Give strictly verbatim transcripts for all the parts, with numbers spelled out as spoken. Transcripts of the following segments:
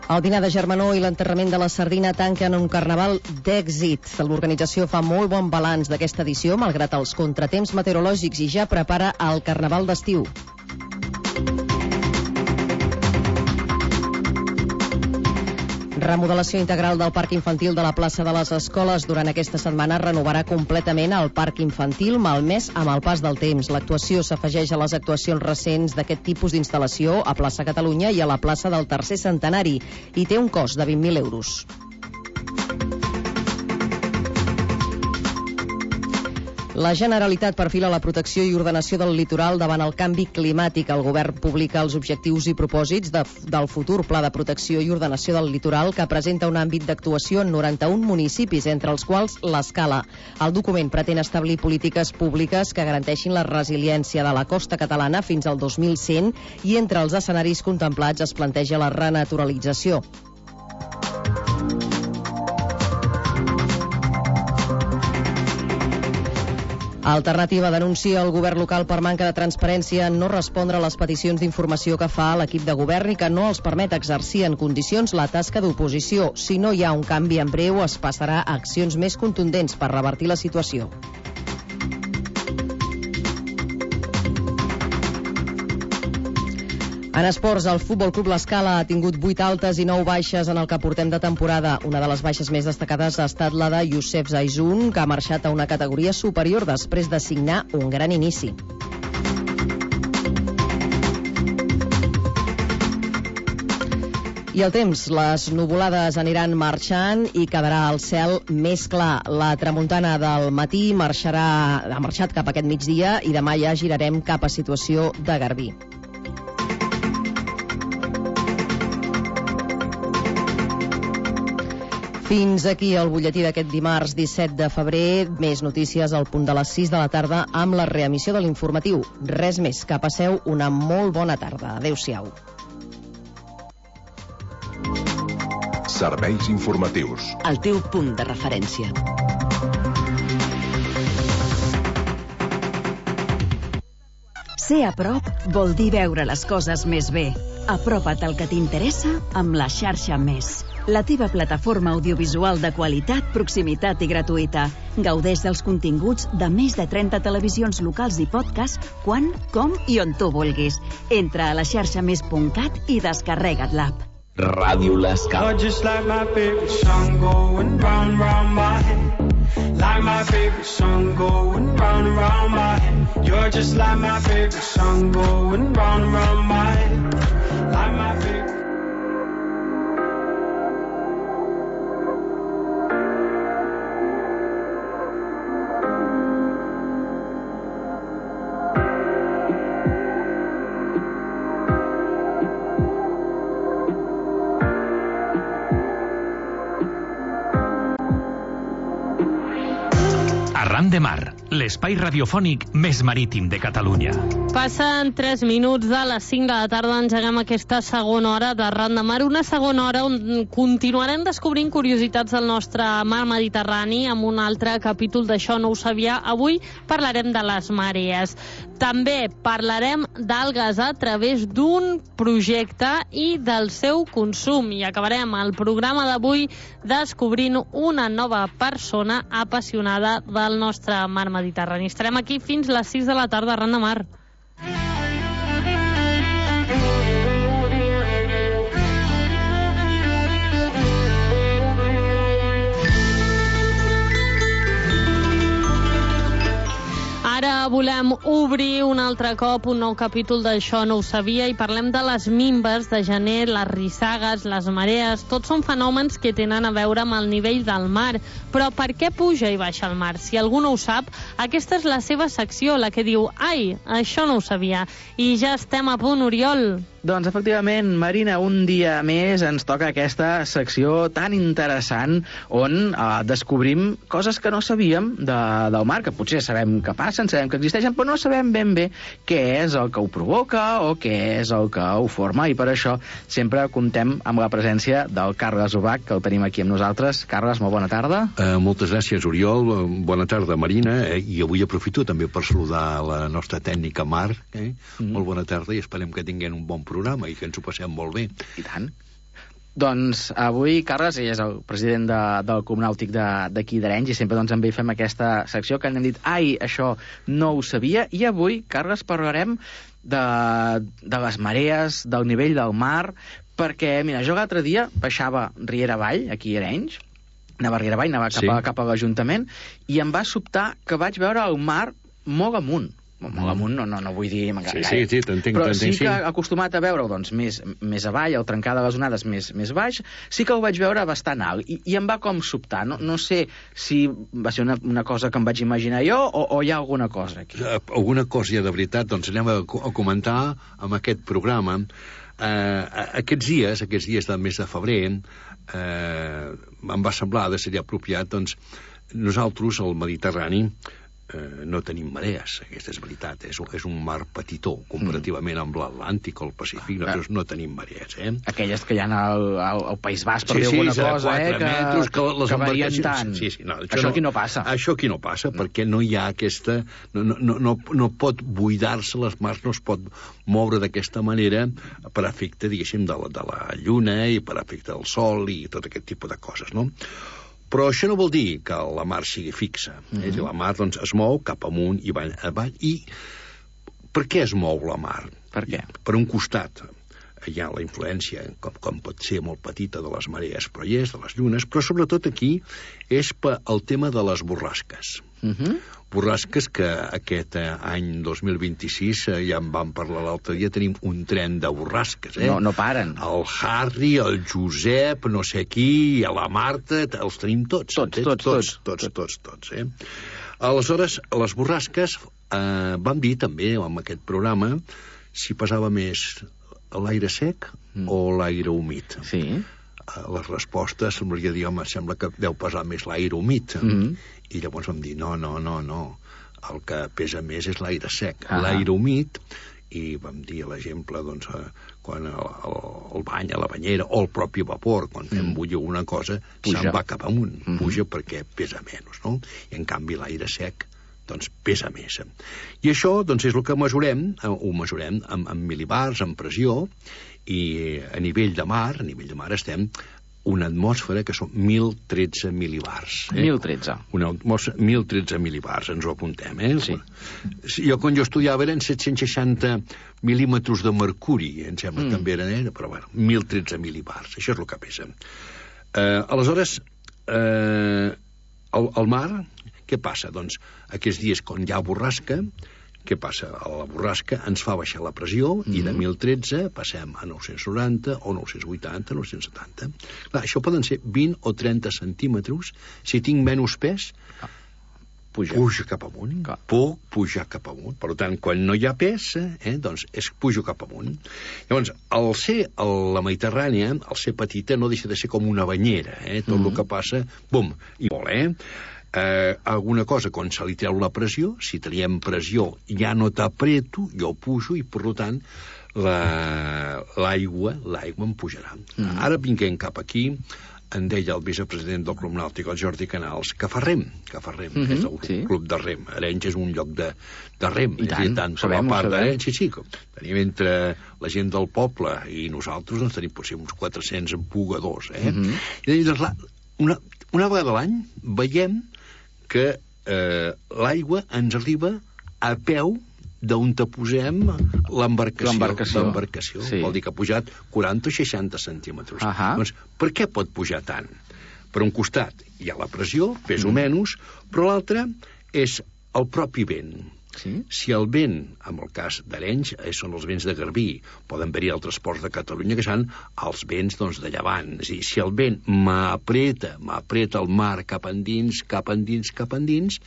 El dinar de Germanó i l'enterrament de la sardina tanquen un carnaval d'èxit. L'organització fa molt bon balanç d'aquesta edició, malgrat els contratemps meteorològics, i ja prepara el carnaval d'estiu. Remodelació integral del parc infantil de la plaça de les Escoles. Durant aquesta setmana renovarà completament el parc infantil, malmès amb el pas del temps. L'actuació s'afegeix a les actuacions recents d'aquest tipus d'instal·lació a plaça Catalunya i a la plaça del Tercer Centenari, i té un cost de vint mil euros. La Generalitat perfila la protecció i ordenació del litoral davant el canvi climàtic. El govern publica els objectius i propòsits de, del futur Pla de Protecció i Ordenació del Litoral, que presenta un àmbit d'actuació en noranta-un municipis, entre els quals l'Escala. El document pretén establir polítiques públiques que garanteixin la resiliència de la costa catalana fins al dos mil cent, i entre els escenaris contemplats es planteja la renaturalització. Alternativa denuncia el govern local per manca de transparència en no respondre a les peticions d'informació que fa l'equip de govern i que no els permet exercir en condicions la tasca d'oposició. Si no hi ha un canvi en breu, es passarà a accions més contundents per revertir la situació. En esports, el Futbol Club L'Escala ha tingut vuit altes i nou baixes en el que portem de temporada. Una de les baixes més destacades ha estat la de Youssef Zaizun, que ha marxat a una categoria superior després de signar un gran inici. I el temps, les nuvolades aniran marxant i quedarà el cel més clar. La tramuntana del matí marxarà, ha marxat cap a aquest migdia i demà ja girarem cap a situació de garbí. Fins aquí el butlletí d'aquest dimarts disset de febrer. Més notícies al punt de les sis de la tarda amb la reemissió de l'informatiu. Res més, que passeu una molt bona tarda. Adéu-siau. Serveis informatius. El teu punt de referència. Ser a prop vol dir veure les coses més bé. Apropa't al que t'interessa amb la xarxa Més. La teva plataforma audiovisual de qualitat, proximitat i gratuïta. Gaudeix dels continguts de més de trenta televisions locals i podcast quan, com i on tu vulguis. Entra a la xarxa més punt cat i descarrega't l'app. Ràdio L'Escala. Just like my favorite song going round, round my head. Like my favorite song going round and round my head. You're just like my favorite song going round and round my head. Like my favorite. Arran de Mar, l'espai radiofònic més marítim de Catalunya. Passen tres minuts de les cinc de la tarda, engeguem aquesta segona hora d'Arran de Mar, una segona hora on continuarem descobrint curiositats del nostre mar Mediterrani amb un altre capítol d'Això no ho sabia. Avui parlarem de les marees. També parlarem d'algues a través d'un projecte i del seu consum. I acabarem el programa d'avui descobrint una nova persona apassionada del nostre mar Mediterrani. Estarem aquí fins les sis de la tarda, Arran de Mar. Ara volem obrir un altre cop un nou capítol d'Això no ho sabia i parlem de les minves de gener, les rissagues, les marees. Tots són fenòmens que tenen a veure amb el nivell del mar. Però per què puja i baixa el mar? Si algú no ho sap, aquesta és la seva secció, la que diu «Ai, això no ho sabia». I ja estem a punt, Oriol. Doncs, efectivament, Marina, un dia més ens toca aquesta secció tan interessant on eh, descobrim coses que no sabíem de, del mar, que potser sabem que passen, sabem que existeixen, però no sabem ben bé què és el que ho provoca o què és el que ho forma, i per això sempre comptem amb la presència del Carles Ubach, que el tenim aquí amb nosaltres. Carles, molt bona tarda. Uh, moltes gràcies, Oriol. Bona tarda, Marina. Eh? I avui aprofito també per saludar la nostra tècnica Mar. Eh? Mm. Molt bona tarda i esperem que tinguem un bon programa i que ens ho passem molt bé. I tant. Doncs avui, Carles, ell és el president de, del Club Nàutic d'aquí d'Arenys i sempre doncs, amb ell fem aquesta secció que hem dit, ai, això no ho sabia, i avui, Carles, parlarem de, de les marees, del nivell del mar, perquè, mira, jo l'altre dia baixava Riera Avall, aquí a Arenys, anava a Riera Avall, anava cap, sí. a, cap a l'Ajuntament, i em va sobtar que vaig veure el mar molt amunt. Molt amunt, no, no, no vull dir... Sí, sí, sí, t'entenc. Però sí que acostumat a veure-ho doncs, més, més avall, el trencar de les onades més, més baix, sí que ho vaig veure bastant alt, i, i em va com sobtar. No, no sé si va ser una, una cosa que em vaig imaginar jo o, o hi ha alguna cosa aquí. Alguna cosa hi ha de veritat, doncs anem a, a comentar amb aquest programa. Eh, aquests dies, aquests dies del mes de febrer, eh, em va semblar de ser apropiat, doncs, nosaltres, al Mediterrani, Eh, no tenim marees, aquesta és veritat, és, és un mar petitó, comparativament amb l'Atlàntic o el Pacífic, nosaltres no tenim marees, eh? Aquelles que hi ha al, al, al País Basc, per sí, dir sí, alguna cosa, eh? Que, metres, que, les que varien tant. Sí, sí, no, això, això aquí no passa. Això aquí no passa, no. Perquè no hi ha aquesta... No, no, no, no pot buidar-se, les mars no es pot moure d'aquesta manera per efecte, diguéssim, de la, de la lluna i per efecte del sol i tot aquest tipus de coses, no? Però això no vol dir que la mar sigui fixa. Mm -hmm. La mar doncs, es mou cap amunt i avall, avall. I per què es mou la mar? Per què? Per un costat hi ha la influència, com, com pot ser molt petita, de les marees, però hi és, de les llunes, però sobretot aquí és per el tema de les borrasques. Mm -hmm. Borrasques que aquest eh, any dos mil vint-i-sis, eh, ja en vam parlar l'altre dia, tenim un tren de borrasques, eh? No, no paren. El Harry, el Josep, no sé qui, la Marta, els tenim tots. Tots, tots, tots, tots, tots, tots, eh? Aleshores, les borrasques, eh, vam dir també, amb aquest programa, si pesava més l'aire sec mm. o l'aire humit. Sí. Les respostes semblaria dir, home, sembla que deu pesar més l'aire humit. Mm -hmm. I llavors vam dir, no, no, no, no. El que pesa més és l'aire sec. Ah. L'aire humit, i vam dir l'exemple, doncs, quan el, el, el bany a la banyera, o el propi vapor, quan fem mm. bullir una cosa, se'n va cap amunt, mm -hmm. puja perquè pesa menys, no? I en canvi l'aire sec doncs pesa més. I això doncs, és el que mesurem, ho mesurem amb, amb milibars, amb pressió, i a nivell de mar, a nivell de mar estem una atmosfera que són mil tretze milibars. Eh? mil tretze. Una atmosfera, mil tretze milibars, ens ho apuntem, eh? Sí. Jo, quan jo estudiava, eren set-cents seixanta mil·límetres de mercuri, em sembla, mm. també eren, eh? Però, bueno, mil tretze milibars, això és el que pesa. Eh, aleshores, eh, el, el mar, què passa? Doncs, aquests dies, quan hi ha borrasca, què passa? A la borrasca ens fa baixar la pressió mm-hmm. i de mil tretze passem a nou-cents noranta o nou-cents vuitanta, nou-cents setanta. Clar, això poden ser vint o trenta centímetres. Si tinc menys pes, puja, puja cap amunt. Clar. Puc pujar cap amunt. Per tant, quan no hi ha pes, eh, doncs és pujo cap amunt. Llavors, al ser a la Mediterrània, al ser petita, no deixa de ser com una banyera. Eh? Tot mm-hmm. el que passa, bum, i molt, eh? Eh, alguna cosa, quan se li treu la pressió, si traiem pressió ja no t'apreto, jo pujo i per tant l'aigua la, l'aigua em pujarà. Mm. Ara vinguem cap aquí, en deia el vicepresident del Club Nàutic, el Jordi Canals, que fa rem, que fa rem, mm-hmm, és el sí. club de rem. Arenys és un lloc de, de rem. I tant, tant sabem, part sabem. Sí, sí, tenim entre la gent del poble i nosaltres, doncs tenim potser uns quatre-cents empugadors, eh? Mm-hmm. I doncs, la, una, una vegada a l'any veiem que eh, l'aigua ens arriba a peu d'on te posem l'embarcació. L'embarcació. l'embarcació. Sí. Vol dir que ha pujat quaranta o seixanta centímetres. Uh -huh. Doncs, per què pot pujar tant? Per un costat hi ha la pressió, pes o mm. menys, però l'altre és el propi vent. Sí? Si el vent, en el cas d'Arenys, són els vents de Garbí, poden haver-hi altres ports de Catalunya que són els vents doncs, de llevant. És a dir, si el vent m'apreta, m'apreta el mar cap endins, cap endins, cap endins,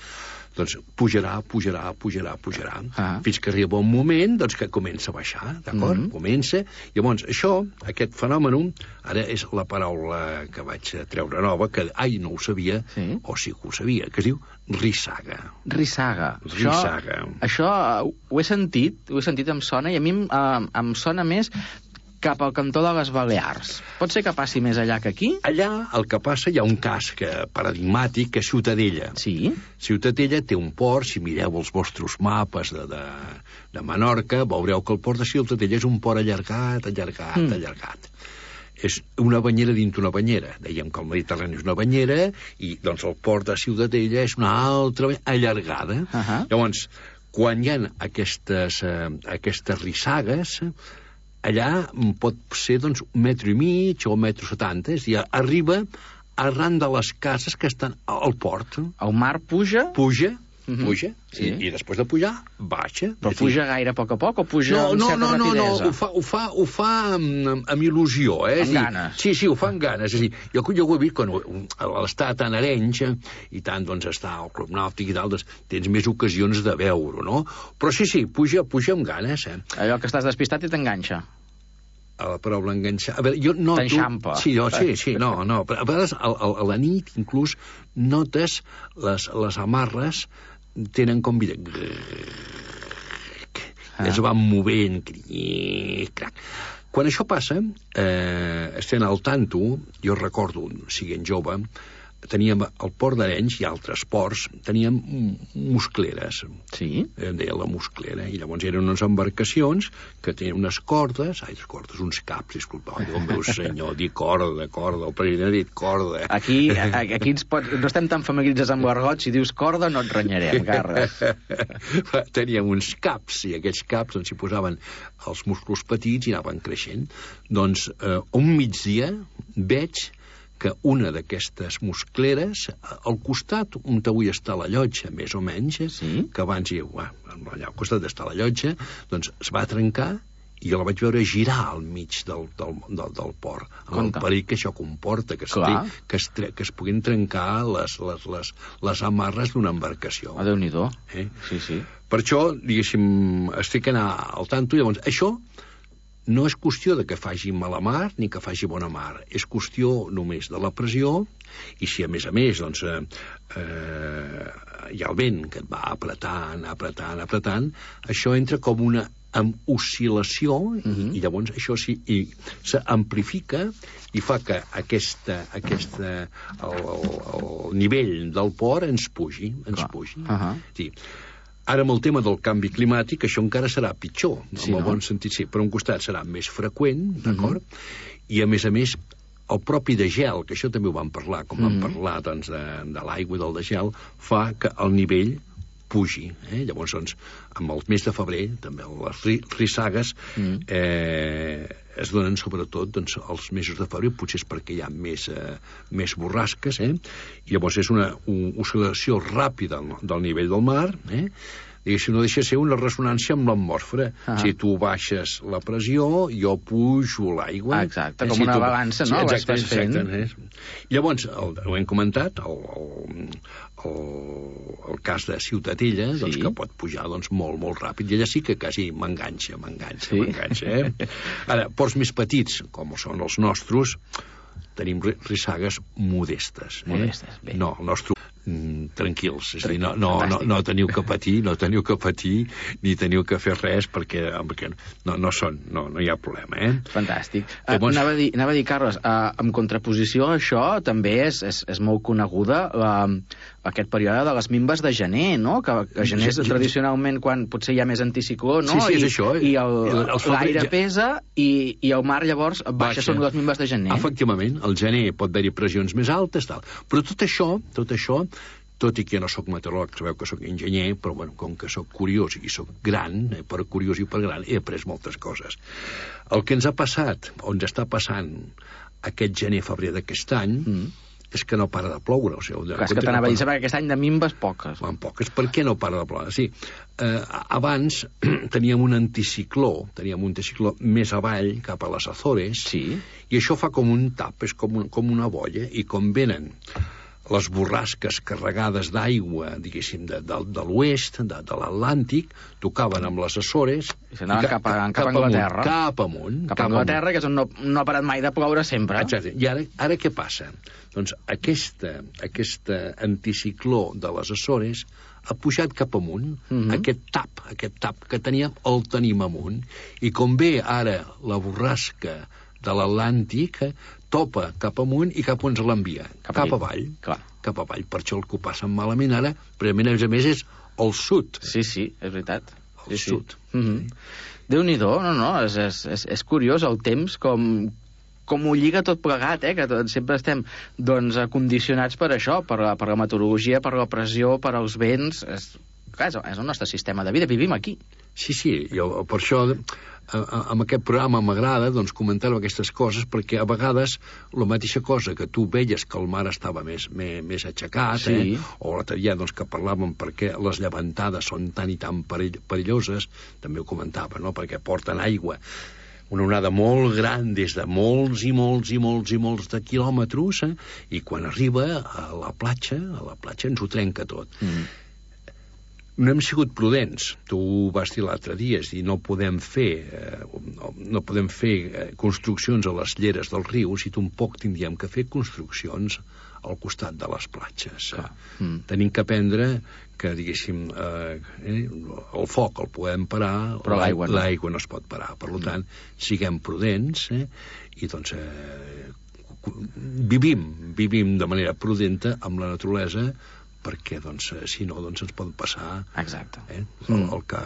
doncs pujarà, pujarà, pujarà, pujarà, ah. fins que arriba un moment doncs, que comença a baixar, d'acord? Mm-hmm. Comença. Llavors, això, aquest fenomen, ara és la paraula que vaig treure nova, que, ai, no ho sabia, sí. o sí que ho sabia, que es diu rissaga. Rissaga. Rissaga. Això, això ho he sentit, ho he sentit, em sona, i a mi em, em sona més cap al cantó de les Balears. Pot ser que passi més allà que aquí? Allà el que passa, hi ha un cas que, paradigmàtic, que és Ciutadella. Sí. Ciutadella té un port, si mireu els vostres mapes de, de, de Menorca, veureu que el port de Ciutadella és un port allargat, allargat, mm. allargat. és una banyera dintre una banyera. Dèiem que el Mediterrani és una banyera i doncs el port de Ciutadella és una altra allargada. Uh -huh. Llavors, quan hi ha aquestes, eh, aquestes rissagues, allà pot ser doncs, un metro i mig o un metro setanta, és a dir, arriba arran de les cases que estan al port. El mar puja? Puja. Uh-huh. Puja, sí. i, i després de pujar, baixa. Però puja gaire a poc a poc o puja no, amb no, certa no, no, rapidesa? No, ho fa, ho fa, ho fa amb, amb il·lusió, eh? Amb ganes. Sí, sí, ho fa amb ganes. És a dir, jo, jo ho he vist quan l'està tan a Arenys i tant, doncs, està al Club Nàutic i tal, doncs, tens més ocasions de veure, no? Però sí, sí, puja, puja amb ganes, eh? Allò que estàs despistat i t'enganxa. A la paraula enganxar... A veure, jo noto... T'enxampa. Sí, jo, sí, sí, no, no. A vegades, a, a, a la nit, inclús, notes les, les amarres tenen com vida. Ah. Es van movent. Quan això passa, eh, estem al tanto, jo recordo, siguent jove, teníem al port d'Arenys i altres ports, teníem muscleres. Sí? Em deia la musclera, i llavors eren unes embarcacions que tenien unes cordes, ai, les cordes, uns caps, disculpa, oh, meu senyor, dir corda, corda, el president ha dit corda. Aquí, aquí ens pot, no estem tan familiaritzats amb l'argot, si dius corda no et renyarem, Carles. Teníem uns caps, i aquests caps doncs, s'hi posaven els musclos petits i anaven creixent. Doncs eh, un migdia veig que una d'aquestes muscleres, al costat on avui està la llotja, més o menys, sí? Que abans hi, bueno, allà al costat d'estar la llotja, doncs es va trencar i jo la vaig veure girar al mig del, del, del, del port, amb Conta. El perill que això comporta, que, que, es, que es puguin trencar les, les, les, les amarres d'una embarcació. A Déu-n'hi-do. Eh? Sí, sí. Per això, diguéssim, estic anant al tanto, i llavors, això no és qüestió de que faci mala mar ni que faci bona mar, és qüestió només de la pressió, i si a més a més doncs, eh, eh, hi ha el vent que et va apretant, apretant, apretant, això entra com una amb oscil·lació, uh-huh. i, i llavors això sí, s'amplifica i fa que aquesta, aquesta el, el, el nivell del port ens pugi, ens Clar. pugi. Uh-huh. Sí. Ara, amb el tema del canvi climàtic, això encara serà pitjor, sí, en el no? bon sentit, sí. Per un costat serà més freqüent, d'acord? Uh-huh. I, a més a més, el propi de gel, que això també ho vam parlar, com uh-huh. vam parlar doncs, de, de l'aigua i del de gel, fa que el nivell pugi. Eh? Llavors, doncs, amb el mes de febrer, també les rissagues uh-huh. eh, es donen sobretot doncs, els mesos de febrer, potser és perquè hi ha més, eh, més borrasques, eh? I llavors és una, una oscil·lació ràpida del nivell del mar, eh? Diguéssim, no deixa de ser una ressonància amb l'atmosfera. Ah. Si tu baixes la pressió, jo pujo l'aigua. Ah, exacte, com si una tu... balança, no? Sí, exacte, fent. exacte. Llavors, el, ho hem comentat, el, el, el, el cas de Ciutadella, sí. doncs, que pot pujar doncs, molt, molt ràpid, i allà sí que quasi m'enganxa, m'enganxa, sí? m'enganxa. Eh? Ara, ports més petits, com són els nostres, tenim rissagues modestes. Eh? Modestes, bé. No, el nostre... tranquils, és a dir, no, no, no, no teniu que patir, no teniu que patir ni teniu que fer res perquè, perquè no, no són, no, no hi ha problema, eh? Fantàstic. Llavors... Uh, anava, a dir, anava a dir, Carles, uh, en contraposició a això també és, és, és molt coneguda uh, aquest període de les minves de gener, no? Que, que gener és tradicionalment quan potser hi ha més anticicló, no? Sí, sí, és I, això. I l'aire ja... pesa i, i el mar llavors baixa, baixa. Són les minves de gener. Efectivament, al gener pot haver-hi pressions més altes, tal. Però tot això, tot això tot i que jo no sóc meteoròleg, sabeu que sóc enginyer, però bueno, com que sóc curiós i sóc gran, eh, per curiós i per gran, he après moltes coses. El que ens ha passat, o ens està passant aquest gener-febrer d'aquest any, mm. és que no para de ploure. O sigui, Clar, és que t'anava no a dir, perquè aquest any de minves poques. En poques. Per què no para de ploure? Sí, eh, abans teníem un anticicló, teníem un anticicló més avall, cap a les Azores, sí. i això fa com un tap, és com, un, com una bolla, i com venen les borrasques carregades d'aigua, diguéssim, de, de, de l'oest, de, de l'Atlàntic, tocaven amb les Açores... I s'anaven cap, a, cap, cap a Anglaterra. Cap amunt. Cap a Anglaterra, que és on no, no ha parat mai de ploure sempre. Exacte. I ara, ara què passa? Doncs aquesta, aquesta anticicló de les Açores ha pujat cap amunt. Mm-hmm. Aquest tap, aquest tap que teníem, el tenim amunt. I com ve ara la borrasca de l'Atlàntic, topa cap amunt i cap on se l'envia. Cap, cap avall. Clar. Cap avall. Per això el que ho passen malament ara, però a més a més és el sud. Sí, sí, és veritat. El sí, sud. Sí. Mm-hmm. Déu-n'hi-do, no, no, és, és, és, és curiós el temps com, com ho lliga tot plegat, eh? Que tot, sempre estem doncs, condicionats per això, per la, per la meteorologia, per la pressió, per als vents. És, clar, és el nostre sistema de vida, vivim aquí. Sí, sí, jo, per això amb aquest programa m'agrada doncs, comentar aquestes coses, perquè a vegades la mateixa cosa que tu veies que el mar estava més, més, més aixecat, sí. eh? O l'altre dia doncs, que parlàvem perquè les llevantades són tan i tan perill perilloses, també ho comentava, no? Perquè porten aigua, una onada molt gran des de molts i molts i molts i molts de quilòmetres, eh? I quan arriba a la platja, a la platja ens ho trenca tot. Mm. No hem sigut prudents. Tu ho vas dir l'altre dia, és dir, no podem fer eh, no podem fer eh, construccions a les lleres dels rius i tampoc tindríem que fer construccions al costat de les platges. Eh? Mm. Tenim que aprendre que, diguéssim, eh, eh, el foc el podem parar, però l'aigua no. l'aigua no es pot parar. Per tant, siguem prudents, eh? I doncs eh, vivim, vivim de manera prudenta amb la naturalesa, perquè, doncs, si no, doncs ens pot passar... Exacte. Eh? El, el que...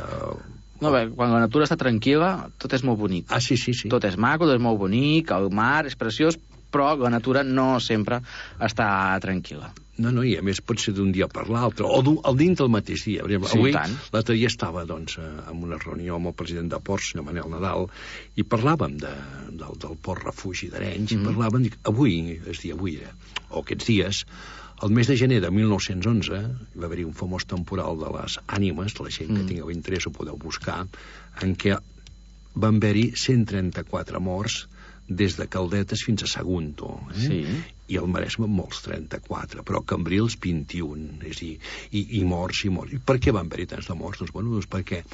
No, bé, quan la natura està tranquil·la, tot és molt bonic. Ah, sí, sí, sí. Tot és maco, tot és molt bonic, el mar és preciós, però la natura no sempre està tranquil·la. No, no, i a més pot ser d'un dia per l'altre, o el dins del mateix dia. Per exemple, sí, avui, tant. L'altre dia estava, doncs, en una reunió amb el president de Ports, senyor Manel Nadal, i parlàvem de, del, del port refugi d'Arenys, mm. i parlàvem, dic, avui, és dir, avui, o aquests dies, el mes de gener de mil nou-cents onze va haver-hi un famós temporal de les ànimes, la gent que mm. tingueu interès ho podeu buscar, en què van haver-hi cent trenta-quatre morts des de Caldetes fins a Sagunto. Eh? Sí. I al Maresme molts, trenta-quatre, però a Cambrils vint-i-un, és a dir, i, i morts i morts. I per què van haver-hi tants de morts? Doncs, bueno, doncs perquè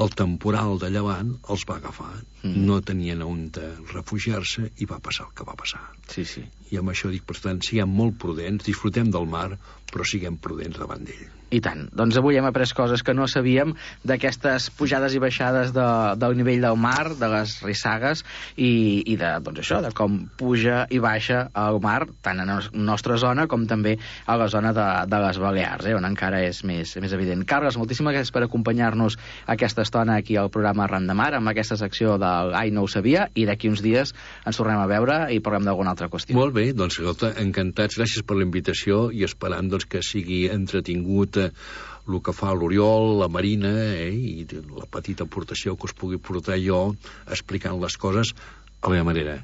el temporal de llevant els va agafar, mm. no tenien on refugiar-se i va passar el que va passar. Sí, sí. I amb això dic, per tant, siguem molt prudents, disfrutem del mar, però siguem prudents davant d'ell. I tant. Doncs avui hem après coses que no sabíem d'aquestes pujades i baixades de, del nivell del mar, de les rissagues, i, i de, doncs això, de com puja i baixa el mar, tant en la nostra zona com també a la zona de, de les Balears, eh, on encara és més, més evident. Carles, moltíssimes gràcies per acompanyar-nos aquesta estona aquí al programa Ran de Mar, amb aquesta secció del Ai, no ho sabia, i d'aquí uns dies ens tornem a veure i parlem d'alguna altra qüestió. Molt bé, doncs, escolta, encantats, gràcies per la invitació i esperant doncs, que sigui entretingut el que fa l'Oriol, la Marina, eh, i la petita aportació que us pugui portar jo explicant les coses a la meva manera.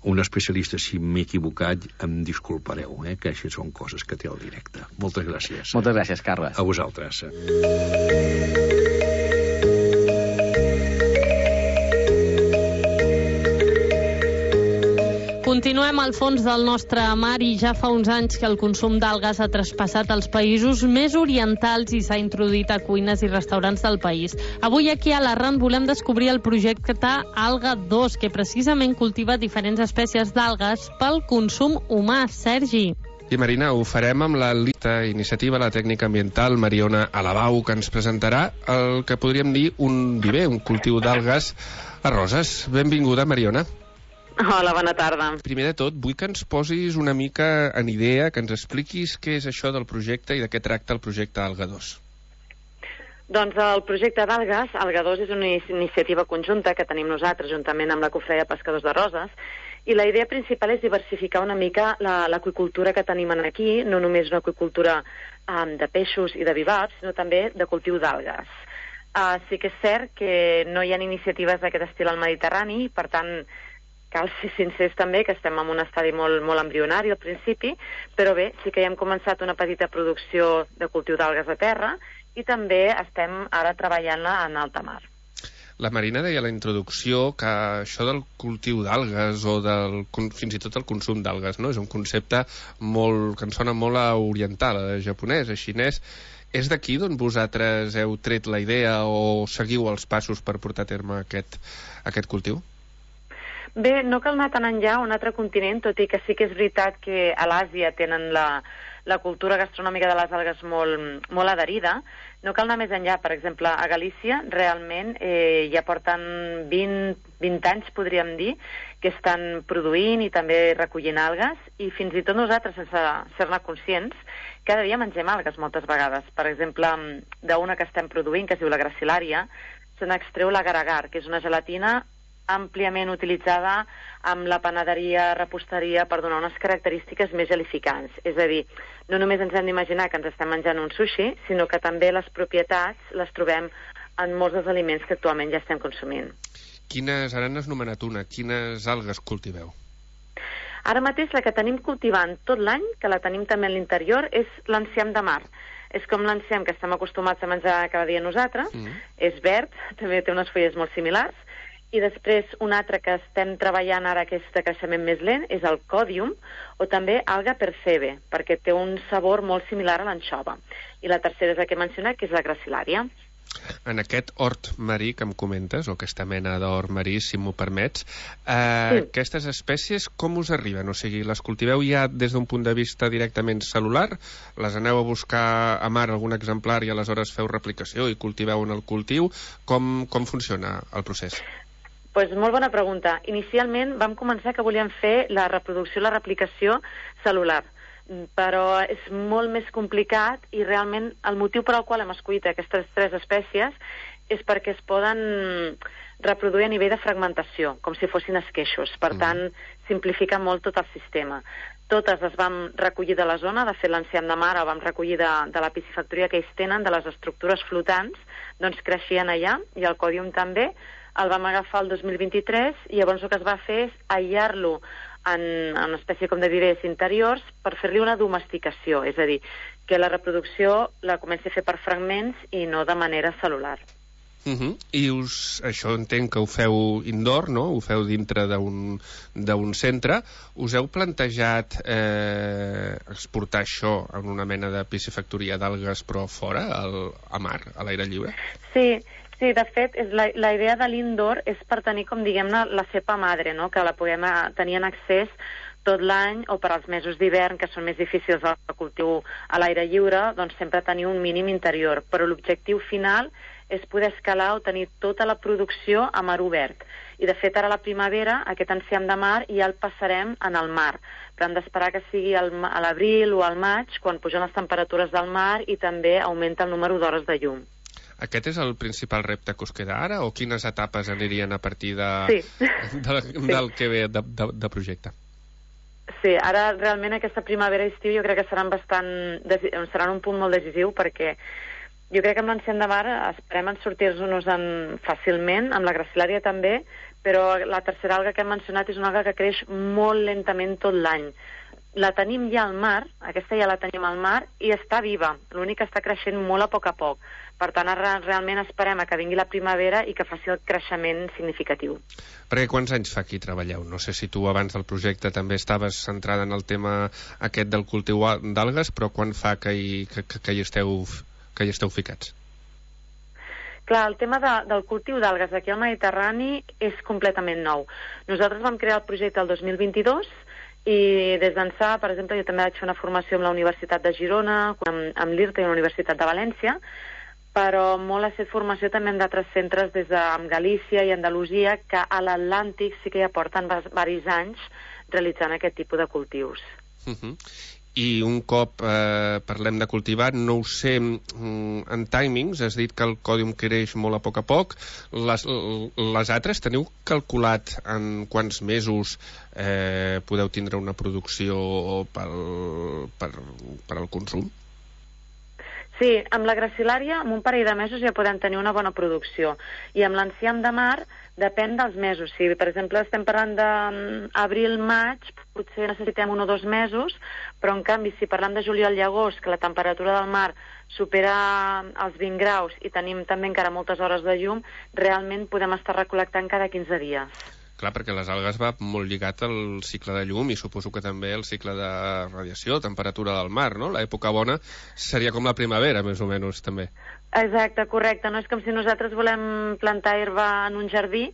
Un especialista, si m'he equivocat, em disculpareu, eh, que això són coses que té el directe. Moltes gràcies. Moltes gràcies, Carles. A vosaltres. Continuem al fons del nostre mar i ja fa uns anys que el consum d'algues ha traspassat els països més orientals i s'ha introduït a cuines i restaurants del país. Avui aquí a l'Arran volem descobrir el projecte Alga dos, que precisament cultiva diferents espècies d'algues pel consum humà. Sergi. I Marina, ho farem amb la lista iniciativa la tècnica ambiental Mariona Alabau, que ens presentarà el que podríem dir un viver, un cultiu d'algues a Roses. Benvinguda, Mariona. Hola, bona tarda. Primer de tot, vull que ens posis una mica en idea, que ens expliquis què és això del projecte i de què tracta el projecte Alga dos. Doncs el projecte d'algues, Alga dos, és una iniciativa conjunta que tenim nosaltres juntament amb la Cofreia de Pescadors de Roses, i la idea principal és diversificar una mica l'aqüicultura que tenim aquí, no només una aqüicultura um, de peixos i de bivalves, sinó també de cultiu d'algues. Uh, sí que és cert que no hi ha iniciatives d'aquest estil al Mediterrani, per tant, cal ser sincers també que estem en un estadi molt, molt embrionari al principi, però bé, sí que ja hem començat una petita producció de cultiu d'algues a terra i també estem ara treballant-la en alta mar. La Marina deia a la introducció que això del cultiu d'algues o del, fins i tot el consum d'algues, no? És un concepte molt, que ens sona molt a oriental, a japonès, a xinès. És d'aquí d'on vosaltres heu tret la idea o seguiu els passos per portar a terme aquest, aquest cultiu? Bé, no cal anar tan enllà a un altre continent, tot i que sí que és veritat que a l'Àsia tenen la, la cultura gastronòmica de les algues molt, molt adherida. No cal anar més enllà. Per exemple, a Galícia realment eh, ja porten vint, vint anys, podríem dir, que estan produint i també recollint algues, i fins i tot nosaltres, sense ser-ne conscients, cada dia mengem algues moltes vegades. Per exemple, d'una que estem produint, que es diu la gracilària, se n'extreu l'agar-agar, que és una gelatina àmpliament utilitzada amb la panaderia, reposteria, per donar unes característiques més gelificants. És a dir, no només ens hem d'imaginar que ens estem menjant un sushi, sinó que també les propietats les trobem en molts dels aliments que actualment ja estem consumint. Quines, ara n'has nomenat una, quines algues cultiveu? Ara mateix la que tenim cultivant tot l'any, que la tenim també a l'interior, és l'enciam de mar. És com l'enciam que estem acostumats a menjar cada dia nosaltres, mm. és verd, també té unes fulles molt similars, i després un altre que estem treballant ara, que és de creixement més lent, és el còdium, o també alga percebe, perquè té un sabor molt similar a l'anxova. I la tercera és la que he mencionat, que és la gracilària. En aquest hort marí que em comentes, o aquesta mena d'hort marí, si m'ho permets, eh, sí. aquestes espècies com us arriben? O sigui, les cultiveu ja des d'un punt de vista directament celular? Les aneu a buscar a mar algun exemplar i aleshores feu replicació i cultiveu en el cultiu? Com, com funciona el procés? Pues molt bona pregunta. Inicialment vam començar que volíem fer la reproducció, la replicació celular, però és molt més complicat i realment el motiu per al qual hem escollit aquestes tres espècies és perquè es poden reproduir a nivell de fragmentació, com si fossin esqueixos. Per tant, simplifica molt tot el sistema. Totes les vam recollir de la zona, de fet l'enciam de mar el vam recollir de, de la piscifactoria que ells tenen, de les estructures flotants, doncs creixien allà, i el còdium també. El vam agafar el dos mil vint-i-tres i llavors el que es va fer és aïllar-lo en, en una espècie com de vivers interiors per fer-li una domesticació, és a dir, que la reproducció la comenci a fer per fragments i no de manera celular. Uh -huh. I us, això entenc que ho feu indoor, no? Ho feu dintre d'un d'un centre. Us heu plantejat eh, exportar això en una mena de piscifactoria d'algues però fora, al, a mar, a l'aire lliure? Sí, Sí, de fet, és la, la idea de l'indoor és per tenir, com diguem-ne, la cepa madre, no? Que la puguem tenir en accés tot l'any o per als mesos d'hivern, que són més difícils de cultiu a l'aire lliure, doncs sempre tenir un mínim interior. Però l'objectiu final és poder escalar o tenir tota la producció a mar obert. I, de fet, ara a la primavera, aquest enciam de mar ja el passarem en el mar. Però hem d'esperar que sigui al, a l'abril o al maig, quan pugen les temperatures del mar i també augmenta el número d'hores de llum. Aquest és el principal repte que us queda ara, o quines etapes anirien a partir de, sí. de, de, del que ve de, de, de projecte? Sí, ara realment aquesta primavera i estiu jo crec que seran bastant, seran un punt molt decisiu, perquè jo crec que amb l'enciam de mar esperem en sortir-nos fàcilment, amb la gracilària també, però la tercera alga que hem mencionat és una alga que creix molt lentament tot l'any. La tenim ja al mar, aquesta ja la tenim al mar, i està viva, l'únic que està creixent molt a poc a poc. Per tant, ara realment esperem a que vingui la primavera i que faci el creixement significatiu. Perquè quants anys fa que hi treballeu? No sé si tu abans del projecte també estaves centrada en el tema aquest del cultiu d'algues, però quan fa que hi, que, que, que hi, esteu, que hi esteu ficats? Clar, el tema de, del cultiu d'algues aquí al Mediterrani és completament nou. Nosaltres vam crear el projecte el dos mil vint-i-dos i des d'ençà, per exemple, jo també vaig fer una formació amb la Universitat de Girona, amb, amb l'I R T i la Universitat de València, però molt ha estat formació també en d'altres centres des de Galícia i Andalusia, que a l'Atlàntic sí que ja porten diversos anys realitzant aquest tipus de cultius. Uh-huh. I un cop eh, parlem de cultivar, no ho sé, en timings, has dit que el còdium creix molt a poc a poc. Les, les altres teniu calculat en quants mesos eh, podeu tindre una producció pel, per, per al consum? Sí, amb la gracilària, en un parell de mesos ja podem tenir una bona producció. I amb l'enciam de mar depèn dels mesos. Si, per exemple, estem parlant d'abril-maig, potser necessitem un o dos mesos, però, en canvi, si parlem de juliol i agost, que la temperatura del mar supera els vint graus i tenim també encara moltes hores de llum, realment podem estar recol·lectant cada quinze dies. Clar, perquè les algues va molt lligat al cicle de llum i suposo que també el cicle de radiació, temperatura del mar, no? L'època bona seria com la primavera, més o menys, també. Exacte, correcte. No és com si nosaltres volem plantar herba en un jardí.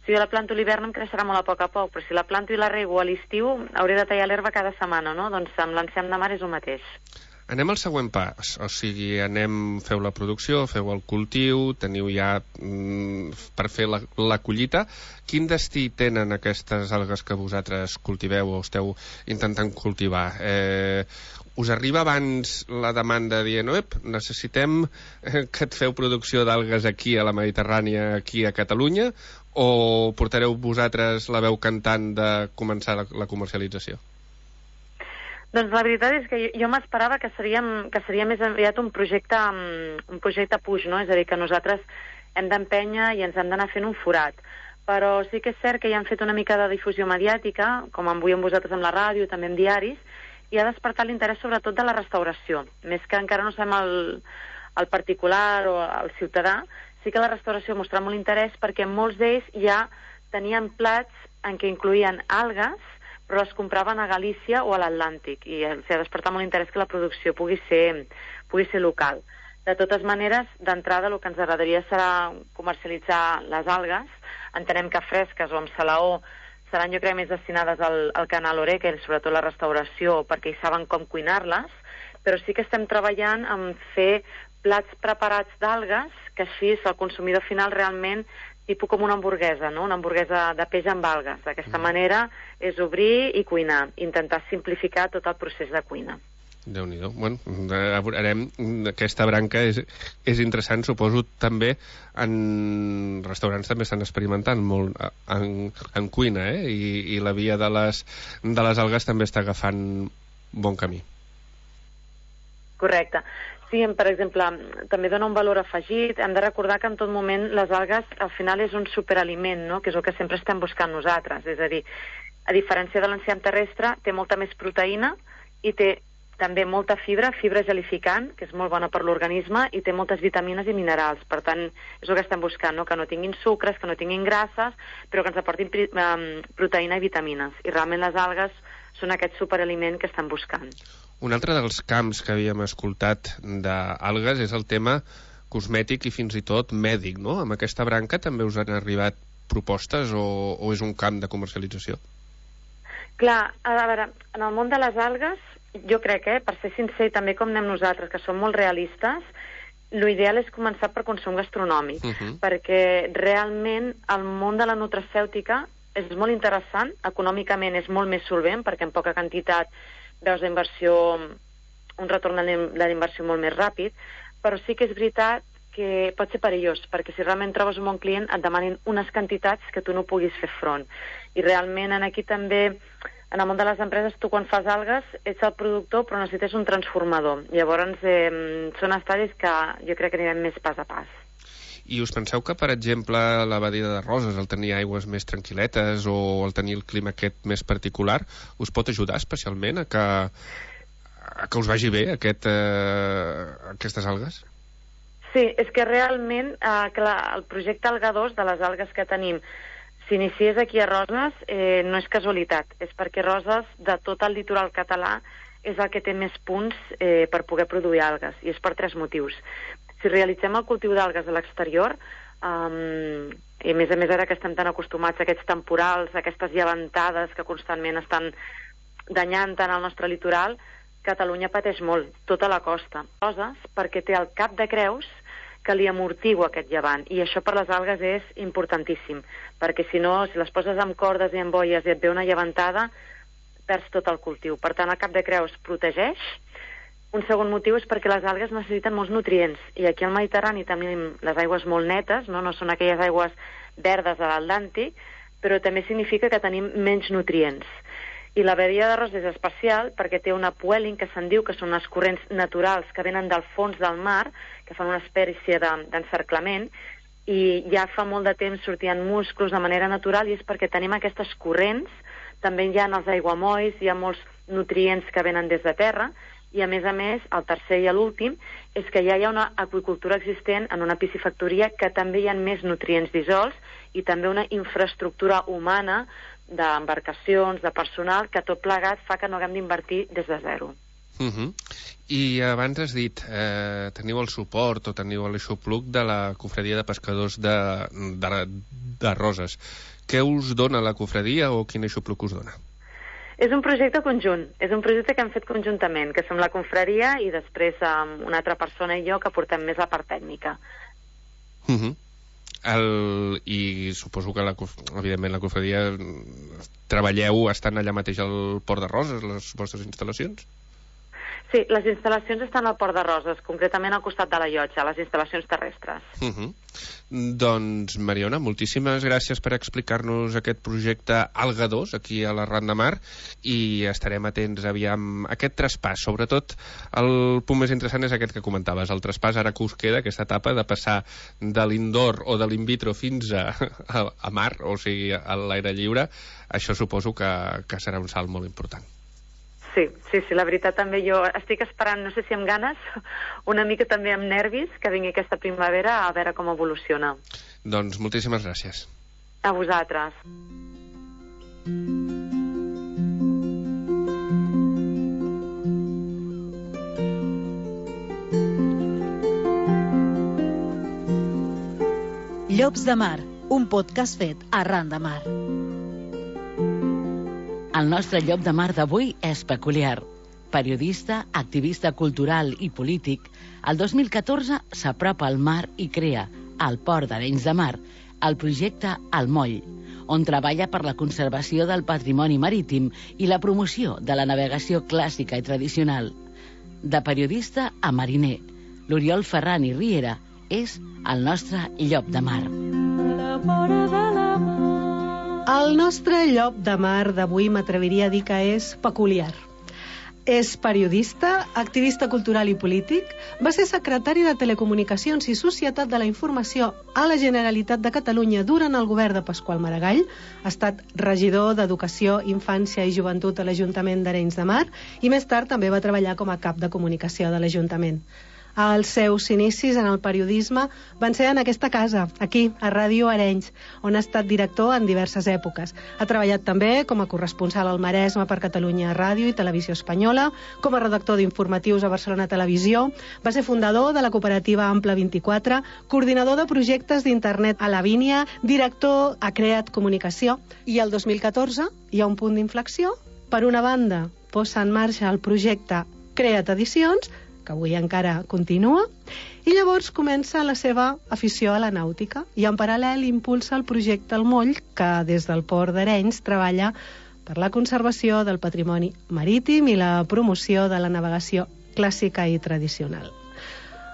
Si jo la planto a l'hivern em creixerà molt a poc a poc, però si la planto i la rego a l'estiu hauré de tallar l'herba cada setmana, no? Doncs amb l'enciam de mar és el mateix. Anem al següent pas, o sigui, anem, feu la producció, feu el cultiu, teniu ja mm, per fer la, la collita. Quin destí tenen aquestes algues que vosaltres cultiveu o esteu intentant cultivar? Eh, us arriba abans la demanda dient, ep, necessitem que et feu producció d'algues aquí a la Mediterrània, aquí a Catalunya, o portareu vosaltres la veu cantant de començar la, la comercialització? Doncs la veritat és que jo, jo m'esperava que, seríem, que seria més aviat un projecte, un projecte puix, no? És a dir, que nosaltres hem d'empènyer i ens hem d'anar fent un forat. Però sí que és cert que ja han fet una mica de difusió mediàtica, com avui amb vosaltres amb la ràdio, també amb diaris, i ha despertat l'interès sobretot de la restauració. Més que encara no sabem el, el particular o el ciutadà, sí que la restauració ha mostrat molt interès perquè molts d'ells ja tenien plats en què incloïen algues, però les compraven a Galícia o a l'Atlàntic, i els ha despertat molt interès que la producció pugui ser, pugui ser local. De totes maneres, d'entrada, el que ens agradaria serà comercialitzar les algues. Entenem que fresques o amb salaó seran, jo crec, més destinades al, al canal Oreca, i sobretot la restauració, perquè hi saben com cuinar-les, però sí que estem treballant en fer plats preparats d'algues, que així el consumidor final realment tipus com una hamburguesa, no? Una hamburguesa de peix amb algues. D'aquesta mm. manera és obrir i cuinar, intentar simplificar tot el procés de cuina. Déu-n'hi-do. Bueno, veurem, aquesta branca és, és interessant, suposo també en restaurants també estan experimentant molt en, en cuina, eh? I, i la via de les, de les algues també està agafant bon camí. Correcte. Sí, per exemple, també dona un valor afegit. Hem de recordar que en tot moment les algues al final és un superaliment, no? Que és el que sempre estem buscant nosaltres. És a dir, a diferència de l'enciam terrestre, té molta més proteïna i té també molta fibra, fibra gelificant, que és molt bona per l'organisme, i té moltes vitamines i minerals. Per tant, és el que estem buscant, no? Que no tinguin sucres, que no tinguin grasses, però que ens aportin proteïna i vitamines. I realment les algues són aquest superaliment que estem buscant. Un altre dels camps que havíem escoltat d'algues és el tema cosmètic i fins i tot mèdic, no? Amb aquesta branca també us han arribat propostes o, o és un camp de comercialització? Clar, a veure, en el món de les algues, jo crec, eh, per ser sincer, també com anem nosaltres, que som molt realistes, l'ideal és començar per consum gastronòmic, uh -huh. perquè realment el món de la nutracèutica és molt interessant, econòmicament és molt més solvent, perquè en poca quantitat veus la inversió, un retorn de la inversió molt més ràpid, però sí que és veritat que pot ser perillós, perquè si realment trobes un bon client et demanin unes quantitats que tu no puguis fer front. I realment en aquí també, en el món de les empreses, tu quan fas algues ets el productor però necessites un transformador. Llavors eh, són estadis que jo crec que anirem més pas a pas. I us penseu que, per exemple, la badia de Roses, el tenir aigües més tranquil·letes o el tenir el clima aquest més particular, us pot ajudar especialment a que, a que us vagi bé aquest, eh, aquestes algues? Sí, és que realment eh, clar, el projecte Alga dos de les algues que tenim s'iniciés aquí a Roses eh, no és casualitat, és perquè Roses, de tot el litoral català, és el que té més punts eh, per poder produir algues, i és per tres motius. Si realitzem el cultiu d'algues a l'exterior, um, i a més a més ara que estem tan acostumats a aquests temporals, a aquestes llevantades que constantment estan danyant tant el nostre litoral, Catalunya pateix molt, tota la costa. Coses perquè té el cap de creus que li amortigua aquest llevant, i això per les algues és importantíssim, perquè si no, si les poses amb cordes i amb boies i et ve una llevantada, perds tot el cultiu. Per tant, el cap de creus protegeix. Un segon motiu és perquè les algues necessiten molts nutrients, i aquí al Mediterrani tenim les aigües molt netes, no, no són aquelles aigües verdes de l'Atlàntic, però també significa que tenim menys nutrients. I la badia de Roses és especial perquè té un upwelling, que se'n diu que són els corrents naturals que venen del fons del mar, que fan una espècie d'encerclament, i ja fa molt de temps sortien musclos de manera natural, i és perquè tenim aquestes corrents. També hi ha els aiguamolls, hi ha molts nutrients que venen des de terra, i a més a més, el tercer i l'últim, és que ja hi ha una aqüicultura existent en una piscifactoria que també hi ha més nutrients dissolts, i també una infraestructura humana d'embarcacions, de personal, que tot plegat fa que no haguem d'invertir des de zero. Uh -huh. I abans has dit, eh, teniu el suport o teniu l'aixopluc de la Cofradia de Pescadors de, de, de Roses. Què us dona la cofradia o quin aixopluc us dona? És un projecte conjunt, és un projecte que hem fet conjuntament, que som la confraria i després um, una altra persona i jo que portem més la part tècnica. Uh -huh. El, I suposo que la, evidentment la confraria treballeu estant allà mateix al Port de Roses, les vostres instal·lacions? Sí, les instal·lacions estan al Port de Roses, concretament al costat de la llotja, les instal·lacions terrestres. Uh -huh. Doncs, Mariona, moltíssimes gràcies per explicar-nos aquest projecte Alga dos aquí a l'Arran de Mar, i estarem atents aviam aquest traspàs. Sobretot el punt més interessant és aquest que comentaves, el traspàs ara que us queda, aquesta etapa de passar de l'indoor o de l'in vitro fins a, a, a mar, o sigui, a l'aire lliure. Això suposo que, que serà un salt molt important. Sí, sí, sí, la veritat també jo estic esperant, no sé si amb ganes, una mica també amb nervis, que vingui aquesta primavera a veure com evoluciona. Doncs moltíssimes gràcies. A vosaltres. Llops de Mar, un podcast fet arran de mar. El nostre llop de mar d'avui és peculiar. Periodista, activista cultural i polític, el dos mil catorze s'apropa al mar i crea, al Port d'Arenys de Mar, el projecte El Moll, on treballa per la conservació del patrimoni marítim i la promoció de la navegació clàssica i tradicional. De periodista a mariner, l'Oriol Ferran i Riera és el nostre llop de mar. La vora de la mar. El nostre llop de mar d'avui m'atreviria a dir que és peculiar. És periodista, activista cultural i polític, va ser secretari de Telecomunicacions i Societat de la Informació a la Generalitat de Catalunya durant el govern de Pasqual Maragall, ha estat regidor d'Educació, Infància i Joventut a l'Ajuntament d'Arenys de Mar i més tard també va treballar com a cap de comunicació de l'Ajuntament. Els seus inicis en el periodisme van ser en aquesta casa, aquí, a Ràdio Arenys, on ha estat director en diverses èpoques. Ha treballat també com a corresponsal al Maresme per Catalunya Ràdio i Televisió Espanyola, com a redactor d'informatius a Barcelona Televisió, va ser fundador de la cooperativa Ample vint-i-quatre, coordinador de projectes d'internet a Lavínia, director a Creat Comunicació, i el dos mil catorze hi ha un punt d'inflexió. Per una banda, posa en marxa el projecte Creat Edicions, que avui encara continua, i llavors comença la seva afició a la nàutica i en paral·lel impulsa el projecte El Moll, que des del Port d'Arenys treballa per la conservació del patrimoni marítim i la promoció de la navegació clàssica i tradicional.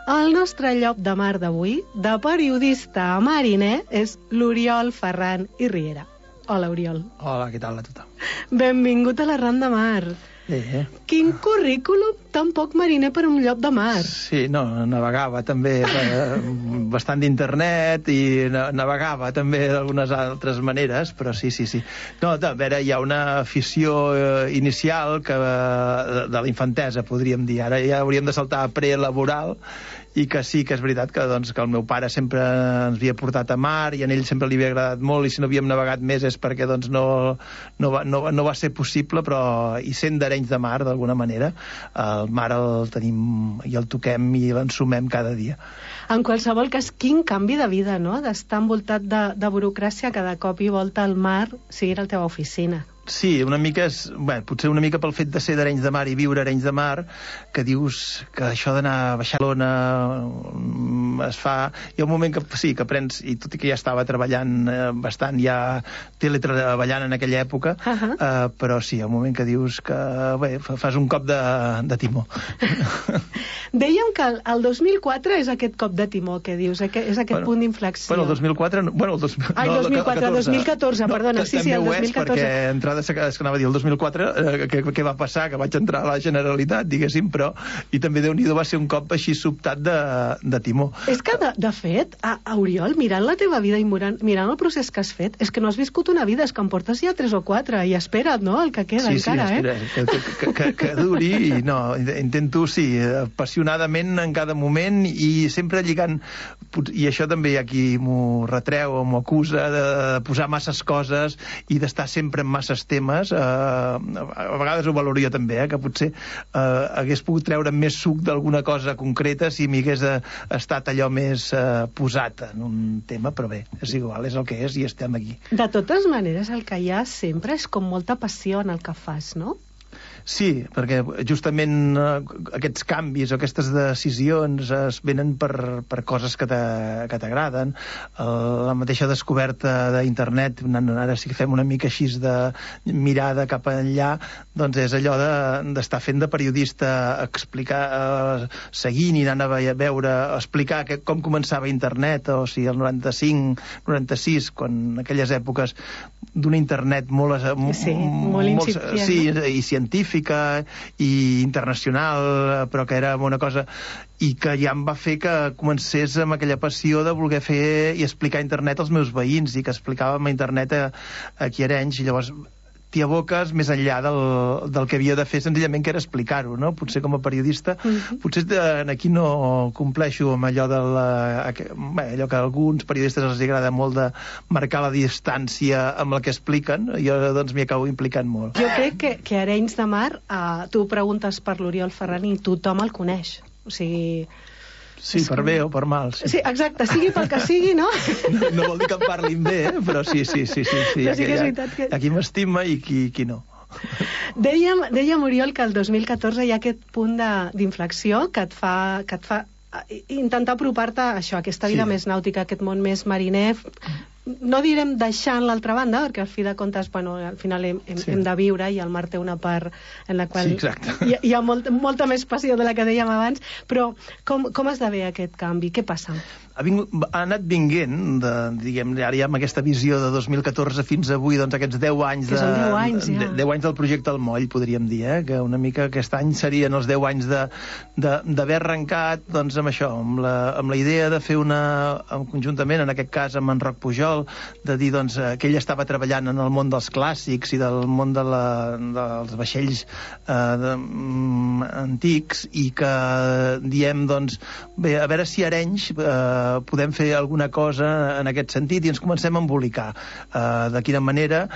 El nostre llop de mar d'avui, de periodista a mariner, és l'Oriol Ferran i Riera. Hola, Oriol. Hola, què tal a tothom? Benvingut a l'Arran de Mar. Eh. Quin currículum tan poc mariner per un llop de mar. Sí, no, navegava també eh, bastant d'internet i navegava també d'algunes altres maneres, però sí, sí, sí. No, a veure, hi ha una afició eh, inicial que, de, de la infantesa, podríem dir. Ara ja hauríem de saltar a prelaboral, i que sí que és veritat que, doncs, que el meu pare sempre ens havia portat a mar i a ell sempre li havia agradat molt, i si no havíem navegat més és perquè doncs, no, no, va, no, no va ser possible, però i sent d'Arenys de Mar d'alguna manera, el mar el tenim i el toquem i l'ensumem cada dia. En qualsevol cas, quin canvi de vida, no?, d'estar envoltat de, de burocràcia, cada cop i volta al mar sigui la teva oficina. Sí, una mica és, bé, potser una mica pel fet de ser d'Arenys de Mar i viure a Arenys de Mar, que dius que això d'anar a Barcelona es fa... Hi ha un moment que sí, que aprens, i tot i que ja estava treballant eh, bastant, ja teletreballant en aquella època, uh -huh. eh, però sí, hi ha un moment que dius que, bé, fas un cop de, de timó. Dèiem que el, el dos mil quatre és aquest cop de timó, que dius, és aquest bueno, punt d'inflexió. Bueno, el dos mil quatre... Bueno, el dos, Ai, no, dos mil quatre, dos mil catorze, perdona, no, sí, sí, el dos mil catorze. Perquè entrada, és que anava a dir, el dos mil quatre, eh, què, què va passar? Que vaig entrar a la Generalitat, diguéssim, però... I també, Déu-n'hi-do, va ser un cop així sobtat de, de timó. És que, de, de fet, a, a Oriol, mirant la teva vida i mirant, mirant el procés que has fet, és que no has viscut una vida, és que em portes ja tres o quatre, i espera't, no?, el que queda sí, encara, sí, espera, eh? Que, que, que, que duri, i no, intento, sí, apassionadament en cada moment i sempre lligant, i això també hi ha qui m'ho retreu o m'ho acusa de posar masses coses i d'estar sempre en masses temes. Eh, a vegades ho valoro jo també, eh, que potser eh, hagués pogut treure més suc d'alguna cosa concreta si m'hi hagués estat allò més eh, posat en un tema, però bé, és igual, és el que és i estem aquí. De totes maneres, el que hi ha sempre és com molta passió en el que fas, no? Sí, perquè justament eh, aquests canvis o aquestes decisions es venen per, per coses que t'agraden. La mateixa descoberta d'internet, ara sí que fem una mica així de mirada cap enllà, doncs és allò d'estar de, fent de periodista, explicar, eh, seguint i anant a veure, explicar que, com començava internet, o sigui, el noranta-cinc, noranta-sis, quan en aquelles èpoques d'una internet molt... Sí, molt incipient. Sí, i científica, i internacional, però que era una cosa i que ja em va fer que comencés amb aquella passió de voler fer i explicar internet als meus veïns, i que explicàvem internet a, aquí a Arenys, i llavors t'hi aboques més enllà del, del que havia de fer, senzillament, que era explicar-ho, no? Potser com a periodista, mm-hmm. potser de, aquí no compleixo amb allò de la, bé, allò que a alguns periodistes els agrada molt de marcar la distància amb la que expliquen. Jo doncs m'hi acabo implicant molt. Jo crec que, que Arenys de Mar, eh, tu preguntes per l'Oriol Ferran i tothom el coneix. O sigui... Sí, per bé o per mal. Sí. sí, exacte, sigui pel que sigui, no? No, no vol dir que em parlin bé, eh? Però sí, sí, sí, sí, sí. Però sí que és veritat que... Hi ha qui m'estima i qui, qui no. Dèiem, dèiem, Oriol, que el dos mil catorze hi ha aquest punt d'inflexió que et fa... Que et fa intentar apropar-te a això, a aquesta vida sí. més nàutica, aquest món més mariner, no direm deixant l'altra banda, perquè al fi de comptes, bueno, al final hem, hem, sí. hem de viure, i el mar té una part en la qual sí, hi, hi ha molt, molta més passió de la que dèiem abans, però com, com esdevé aquest canvi? Què passa? Ha, vingut, ha anat vinguent, de, diguem, ara ja amb aquesta visió de dos mil catorze fins avui, doncs aquests deu anys, que de, són deu anys, ja. deu anys del projecte El Moll, podríem dir, eh? Que una mica aquest any serien els deu anys d'haver arrencat, doncs, amb això, amb la, amb la idea de fer una, conjuntament, en aquest cas amb en Roc Pujol, de dir doncs, que ell estava treballant en el món dels clàssics i del món de la, dels vaixells eh, de, mm, antics, i que diem, doncs, bé, a veure si Arenys eh, podem fer alguna cosa en aquest sentit, i ens comencem a embolicar. Eh, de quina manera?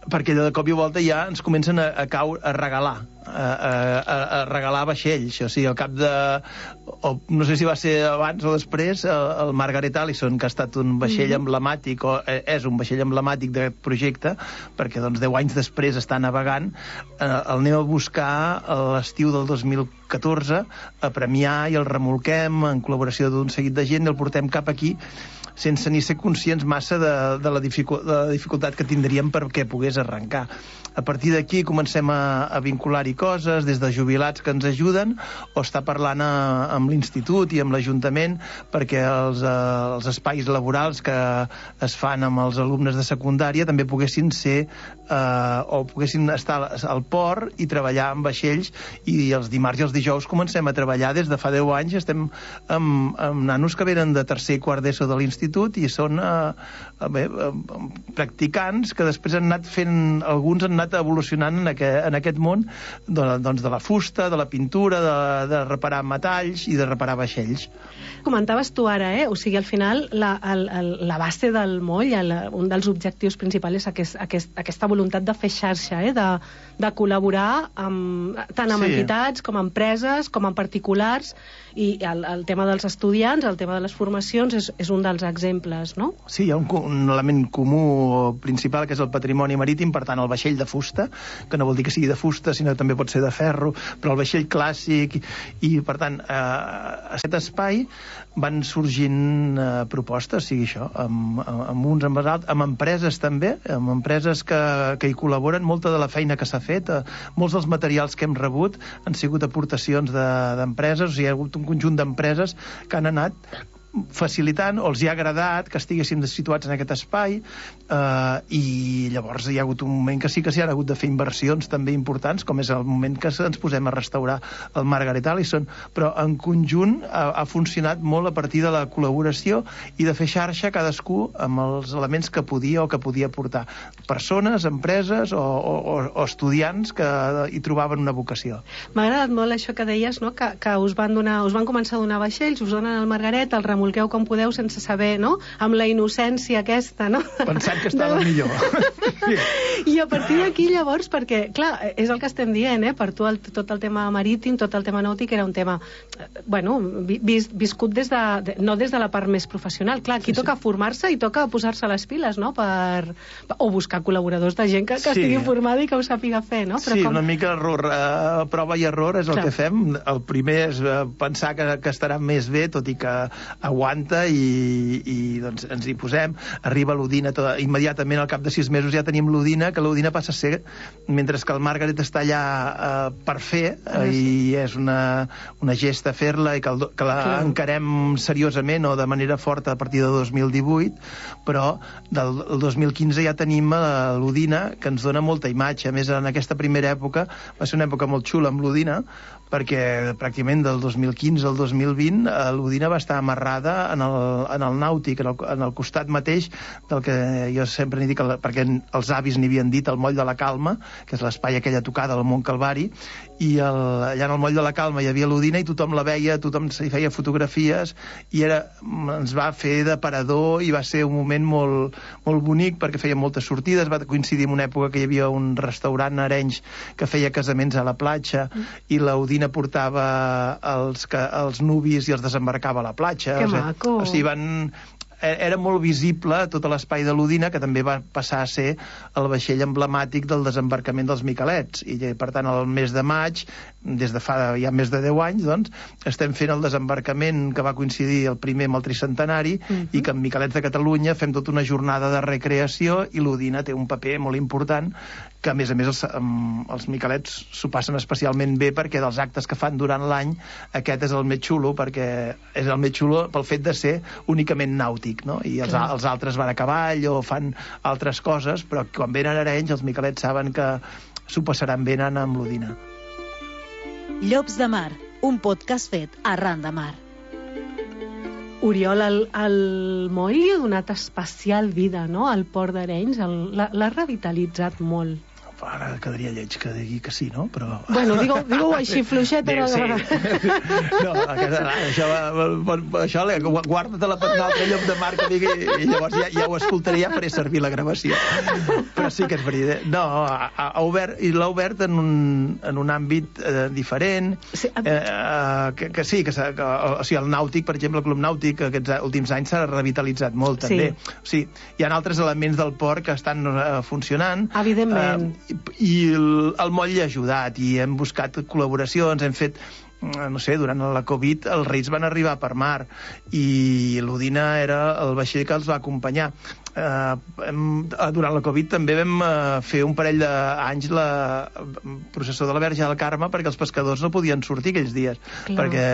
Perquè de cop i volta ja ens comencen a, a caure, a regalar, a, a, a regalar vaixells. O sigui, al cap de... O, no sé si va ser abans o després, el, el Margaret Allison, que ha estat un vaixell mm-hmm. emblemàtic, o és un vaixell emblemàtic d'aquest projecte, perquè doncs deu anys després està navegant, eh, el anem a buscar a l'estiu del dos mil catorze a Premià, i el remolquem en col·laboració d'un seguit de gent, i el portem cap aquí, sense ni ser conscients massa de, de, la dificu de la dificultat que tindríem perquè pogués arrencar. A partir d'aquí comencem a, a vincular-hi coses, des de jubilats que ens ajuden, o estar parlant a, amb l'institut i amb l'Ajuntament perquè els, eh, els espais laborals que es fan amb els alumnes de secundària també poguessin ser eh, o poguessin estar al port i treballar amb vaixells, i els dimarts i els dijous comencem a treballar des de fa deu anys. Estem amb, amb nanos que venen de tercer i quart d'ESO de l'institut, i són eh, bé, eh, practicants que després han anat fent, alguns han anat evolucionant en aquest, en aquest món de, doncs de la fusta, de la pintura, de, de reparar metalls i de reparar vaixells. Comentaves tu ara, eh? O sigui, al final la, el, el, la base del moll, el, un dels objectius principals és aquest, aquest, aquesta voluntat de fer xarxa, eh? de, de col·laborar amb, tant amb sí. entitats com amb empreses, com amb particulars, i el, el tema dels estudiants, el tema de les formacions és, és un dels exemples, no? Sí, hi ha un, un element comú principal, que és el patrimoni marítim, per tant el vaixell de fusta, que no vol dir que sigui de fusta, sinó que també pot ser de ferro, però el vaixell clàssic, i, i per tant, eh, a aquest espai van sorgint eh, propostes, sigui això, amb, amb uns amb els altres, amb empreses també, amb empreses que, que hi col·laboren. Molta de la feina que s'ha fet, eh, molts dels materials que hem rebut han sigut aportacions d'empreses, de, o sigui, hi ha hagut un conjunt d'empreses que han anat facilitant, o els hi ha agradat que estiguéssim situats en aquest espai, eh, i llavors hi ha hagut un moment que sí que s'hi ha hagut de fer inversions també importants, com és el moment que ens posem a restaurar el Margaret Allison, però en conjunt ha, ha funcionat molt a partir de la col·laboració i de fer xarxa cadascú amb els elements que podia o que podia portar. Persones, empreses o, o, o estudiants que hi trobaven una vocació. M'ha agradat molt això que deies, no? que, que us van donar, us van començar a donar vaixells, us donen el Margaret, el remolc rebolqueu com podeu sense saber, no? Amb la innocència aquesta, no? Pensant que estava de... millor. I a partir d'aquí, llavors, perquè, clar, és el que estem dient, eh? Per tu el, tot el tema marítim, tot el tema nàutic era un tema, bueno, vis, viscut des de, de, no des de la part més professional. Clar, aquí sí, toca sí. formar-se i toca posar-se les piles, no? Per, o buscar col·laboradors de gent que, que sí. estigui formada i que ho sàpiga fer, no? Però sí, com... una mica error, uh, prova i error és el clar. Que fem. El primer és uh, pensar que, que estarà més bé, tot i que aguanta, i, i doncs ens hi posem. Arriba l'Udina, tot, immediatament al cap de sis mesos ja tenim l'Udina, que l'Udina passa a ser, mentre que el Margaret està allà uh, per fer, uh, i és una, una gesta fer-la i que, el, que la clar. encarem seriosament o de manera forta a partir de dos mil divuit, però del dos mil quinze ja tenim uh, l'Udina, que ens dona molta imatge. A més, en aquesta primera època va ser una època molt xula amb l'Udina, perquè pràcticament del dos mil quinze al dos mil vint eh, l'Udina va estar amarrada en el, en el nàutic, en el, en el costat mateix del que jo sempre n'hi dic, el, perquè els avis n'hi havien dit, el Moll de la Calma, que és l'espai aquella tocada al Mont Calvari, i el, allà en el Moll de la Calma hi havia l'Udina i tothom la veia, tothom s'hi feia fotografies, i era, ens va fer de parador i va ser un moment molt, molt bonic perquè feia moltes sortides. Va coincidir en una època que hi havia un restaurant a Arenys que feia casaments a la platja, mm. i l'Udina portava els, que, els nuvis i els desembarcava a la platja. Que o sigui, maco! O sigui, van... Era molt visible tot l'espai de l'Udina, que també va passar a ser el vaixell emblemàtic del desembarcament dels Miquelets, i per tant el mes de maig, des de fa ja més de deu anys, doncs, estem fent el desembarcament que va coincidir el primer amb el tricentenari, uh-huh. i que en Miquelets de Catalunya fem tota una jornada de recreació, i l'Udina té un paper molt important, que a més a més els, els Miquelets s'ho passen especialment bé, perquè dels actes que fan durant l'any aquest és el més xulo, perquè és el més xulo pel fet de ser únicament nàutic, no? I els, els altres van a cavall o fan altres coses, però quan venen a Arenys els Miquelets saben que s'ho passaran bé anant amb l'Udina. Llops de Mar, un podcast fet arran de mar. Oriol, el, el moll li ha donat especial vida, no?, al Port d'Arenys, l'ha revitalitzat molt. Ara quedaria lleig que digui que sí, no? Però... Bueno, digue-ho digue així, fluixet. Bé, sí. No, aquesta, això, això guarda-te-la per un altre lloc de mar que digui, i llavors ja, ja ho escoltaré, ja faré servir la gravació. Però sí que és veritat. No, ha, ha obert, i l'ha obert en un, en un àmbit eh, diferent, sí, eh, eh, que, que sí, que, que o sigui, el nàutic, per exemple, el Club Nàutic, aquests últims anys s'ha revitalitzat molt, també. Sí. O sigui, hi ha altres elements del port que estan eh, funcionant. Evidentment. Eh, i el, el moll hi ha ajudat i hem buscat col·laboracions, hem fet, no sé, durant la Covid els Reis van arribar per mar i l'Udina era el vaixell que els va acompanyar. Uh, hem, durant la Covid també vam uh, fer un parell d'anys la processó de la Verge del Carme, perquè els pescadors no podien sortir aquells dies. Clar. Perquè,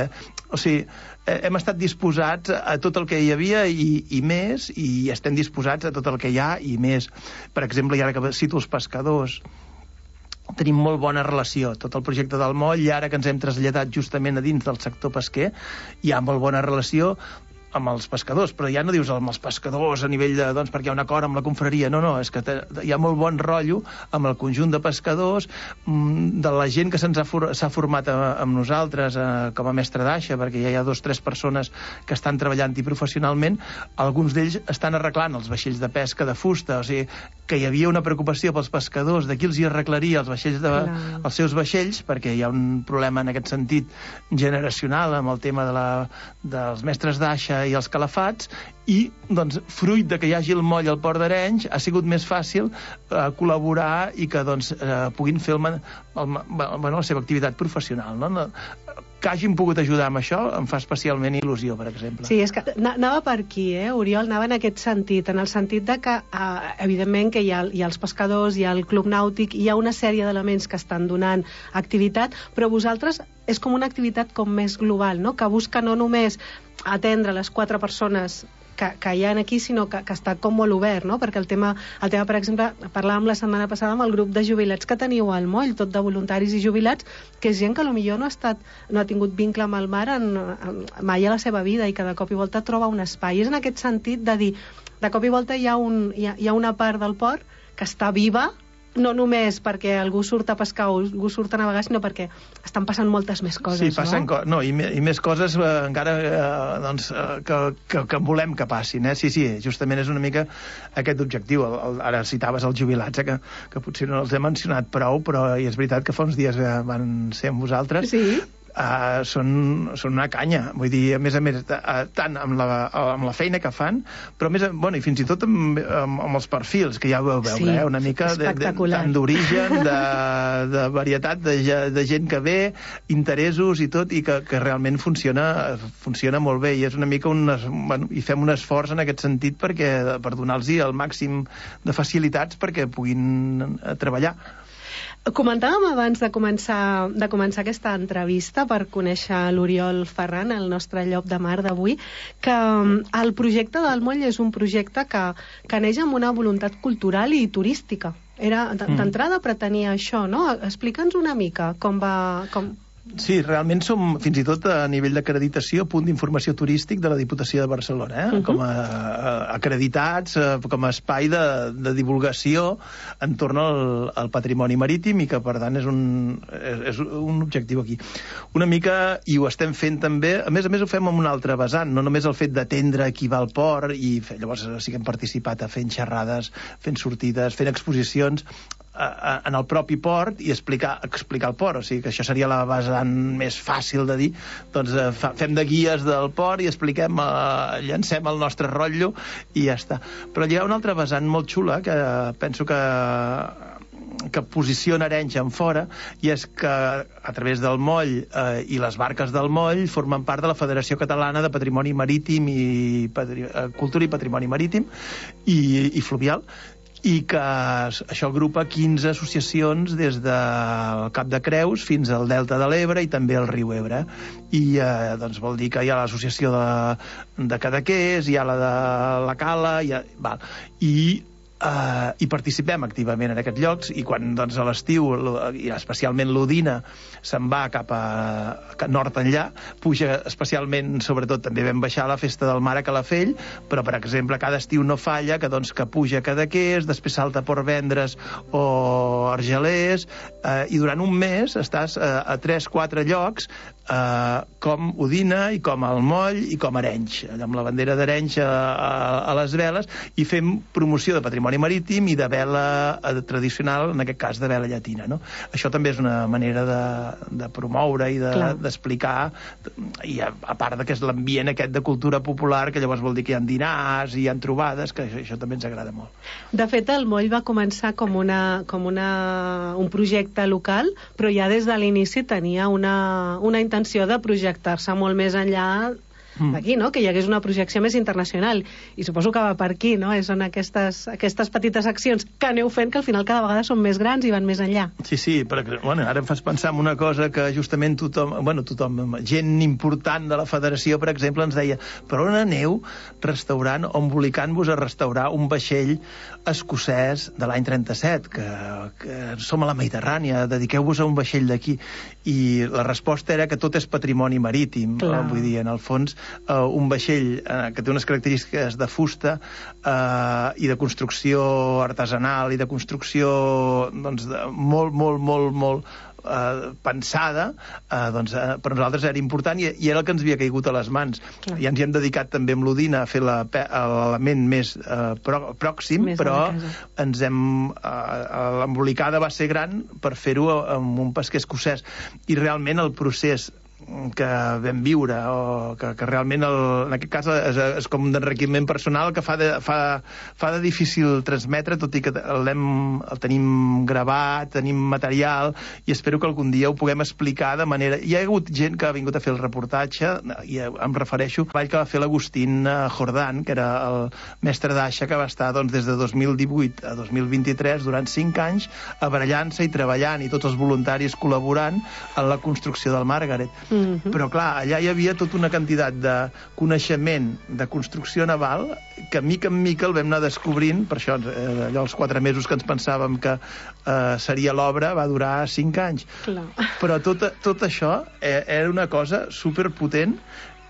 o sigui, hem estat disposats a tot el que hi havia i, i més, i estem disposats a tot el que hi ha i més. Per exemple, i ara que cito els pescadors, tenim molt bona relació. Tot el projecte del moll, i ara que ens hem traslladat justament a dins del sector pesquer, hi ha molt bona relació amb els pescadors, però ja no dius amb els pescadors a nivell de, doncs, perquè hi ha un acord amb la confraria, no, no, és que te, hi ha molt bon rotllo amb el conjunt de pescadors, de la gent que se'ns ha, for, s'ha format a, amb nosaltres a, com a mestre d'aixa, perquè ja hi ha dos o tres persones que estan treballant-hi professionalment, alguns d'ells estan arreglant els vaixells de pesca de fusta, o sigui, que hi havia una preocupació pels pescadors de qui els hi arreglaria els vaixells de, els seus vaixells, perquè hi ha un problema en aquest sentit generacional amb el tema de la, dels mestres d'aixa i els calafats, i doncs, fruit de que hi hagi el moll al Port d'Arenys ha sigut més fàcil eh, col·laborar i que doncs, eh, puguin fer el, el, bueno, la seva activitat professional, no? Que hagin pogut ajudar amb això em fa especialment il·lusió, per exemple. Sí, és que anava per aquí, eh, Oriol, anava en aquest sentit, en el sentit de que, eh, evidentment, que hi ha, hi ha els pescadors, hi ha el Club Nàutic, hi ha una sèrie d'elements que estan donant activitat, però vosaltres és com una activitat com més global, no?, que busca no només atendre les quatre persones que, que hi ha aquí, sinó que, que està com molt obert, no? Perquè el tema, el tema, per exemple, parlàvem la setmana passada amb el grup de jubilats que teniu al moll, tot de voluntaris i jubilats, que és gent que potser no ha estat, no ha tingut vincle amb el mar en, en, mai a la seva vida i que de cop i volta troba un espai. És en aquest sentit de dir, de cop i volta hi ha, un, hi ha, hi ha una part del port que està viva no només perquè algú surt a pescar o algú surt a navegar, sinó perquè estan passant moltes més coses, sí, passen no? Co no, i, me i més coses eh, encara eh, doncs, eh, que, que, que volem que passin, eh? Sí, sí, justament és una mica aquest objectiu. El, el, ara citaves els jubilats, eh, que, que potser no els he mencionat prou, però i és veritat que fa uns dies eh, van ser amb vosaltres. Sí. Uh, són, són una canya, vull dir, a més a més, uh, tant amb la, amb la feina que fan, però més, bueno, i fins i tot amb, amb, amb els perfils, que ja ho veu veure, sí, eh? Una mica de, de, tant d'origen, de, de varietat de, de gent que ve, interessos i tot, i que, que realment funciona, funciona molt bé, i és una mica un, bueno, i fem un esforç en aquest sentit perquè, per donar-los el màxim de facilitats perquè puguin treballar. Comentàvem abans de començar, de començar aquesta entrevista per conèixer l'Oriol Ferran, el nostre llop de mar d'avui, que el projecte del moll és un projecte que, que neix amb una voluntat cultural i turística. Era, d'entrada pretenia això, no? Explica'ns una mica com va... Com... Sí, realment som, fins i tot a nivell d'acreditació, punt d'informació turístic de la Diputació de Barcelona, eh? Uh-huh. Com a, a acreditats, a, com a espai de, de divulgació entorn al, al patrimoni marítim i que, per tant, és un, és, és un objectiu aquí. Una mica, i ho estem fent també, a més a més ho fem amb un altre vessant, no només el fet d'atendre qui va al port, i fe, llavors sí que hem participat a fent xerrades, fent sortides, fent exposicions, a, a, en el propi port i explicar, explicar el port, o sigui que això seria la vessant més fàcil de dir, doncs eh, fa, fem de guies del port i expliquem, eh, llancem el nostre rotllo i ja està. Però hi ha una altra vessant molt xula que penso que que posiciona Arenys en fora, i és que a través del moll eh, i les barques del moll formen part de la Federació Catalana de Patrimoni Marítim i Patri eh, Cultura i Patrimoni Marítim i, i Fluvial, i que això agrupa quinze associacions des del Cap de Creus fins al Delta de l'Ebre i també al riu Ebre. I eh, doncs vol dir que hi ha l'associació de, de Cadaqués, hi ha la de la Cala, hi ha, val, i Uh, i participem activament en aquests llocs, i quan doncs, a l'estiu, i especialment l'Odina, se'n va cap a, a nord enllà, puja especialment, sobretot també vam baixar a la Festa del Mar a Calafell, però per exemple cada estiu no falla que, doncs, que puja a Cadaqués, després salta a Portvendres o Argelers, uh, i durant un mes estàs uh, a tres quatre llocs, uh, com Odina i com el Moll i com Arenys, amb la bandera d'Arenys a, a, a les veles, i fem promoció de patrimoni marítim i de vela tradicional, en aquest cas de vela llatina, no? Això també és una manera de, de promoure i d'explicar, de, i a, a part de que és l'ambient aquest de cultura popular, que llavors vol dir que hi ha dinars i hi ha trobades, que això, això també ens agrada molt. De fet, el moll va començar com, una, com una, un projecte local, però ja des de l'inici tenia una, una intenció de projectar-se molt més enllà d'aquí, no? Que hi hagués una projecció més internacional, i suposo que va per aquí, no? Són aquestes, aquestes petites accions que aneu fent que al final cada vegada són més grans i van més enllà. Sí, sí, però bueno, ara em fas pensar en una cosa que justament tothom, bueno, tothom, gent important de la federació, per exemple, ens deia, però on aneu restaurant o embolicant-vos a restaurar un vaixell escocès de l'any trenta-set, que, que som a la Mediterrània, dediqueu-vos a un vaixell d'aquí, i la resposta era que tot és patrimoni marítim. Clar. Vull dir, en el fons, Uh, un vaixell uh, que té unes característiques de fusta uh, i de construcció artesanal i de construcció doncs, de, molt, molt, molt, molt uh, pensada, uh, doncs, uh, per nosaltres era important i, i era el que ens havia caigut a les mans. Clar. I ens hi hem dedicat també amb l'Odina a fer l'element més uh, pro, pròxim, més però ens hem uh, l'embolicada va ser gran per fer-ho amb un pesquer escocès, i realment el procés que vam viure, o que, que realment el, en aquest cas és, és com un enriquiment personal que fa de, fa, fa de difícil transmetre, tot i que el, el tenim gravat, tenim material, i espero que algun dia ho puguem explicar de manera... Hi ha hagut gent que ha vingut a fer el reportatge, i em refereixo al ball que va fer l'Agustín Jordán, que era el mestre d'aixa, que va estar doncs, des de dos mil divuit a dos mil vint-i-tres, durant cinc anys, abrellant-se i treballant, i tots els voluntaris col·laborant en la construcció del Margaret. Mm-hmm. Però clar, allà hi havia tota una quantitat de coneixement de construcció naval que mica en mica el vam anar descobrint. Per això eh, allò els quatre mesos que ens pensàvem que eh, seria l'obra va durar cinc anys. Clar. Però tot, tot això eh, era una cosa superpotent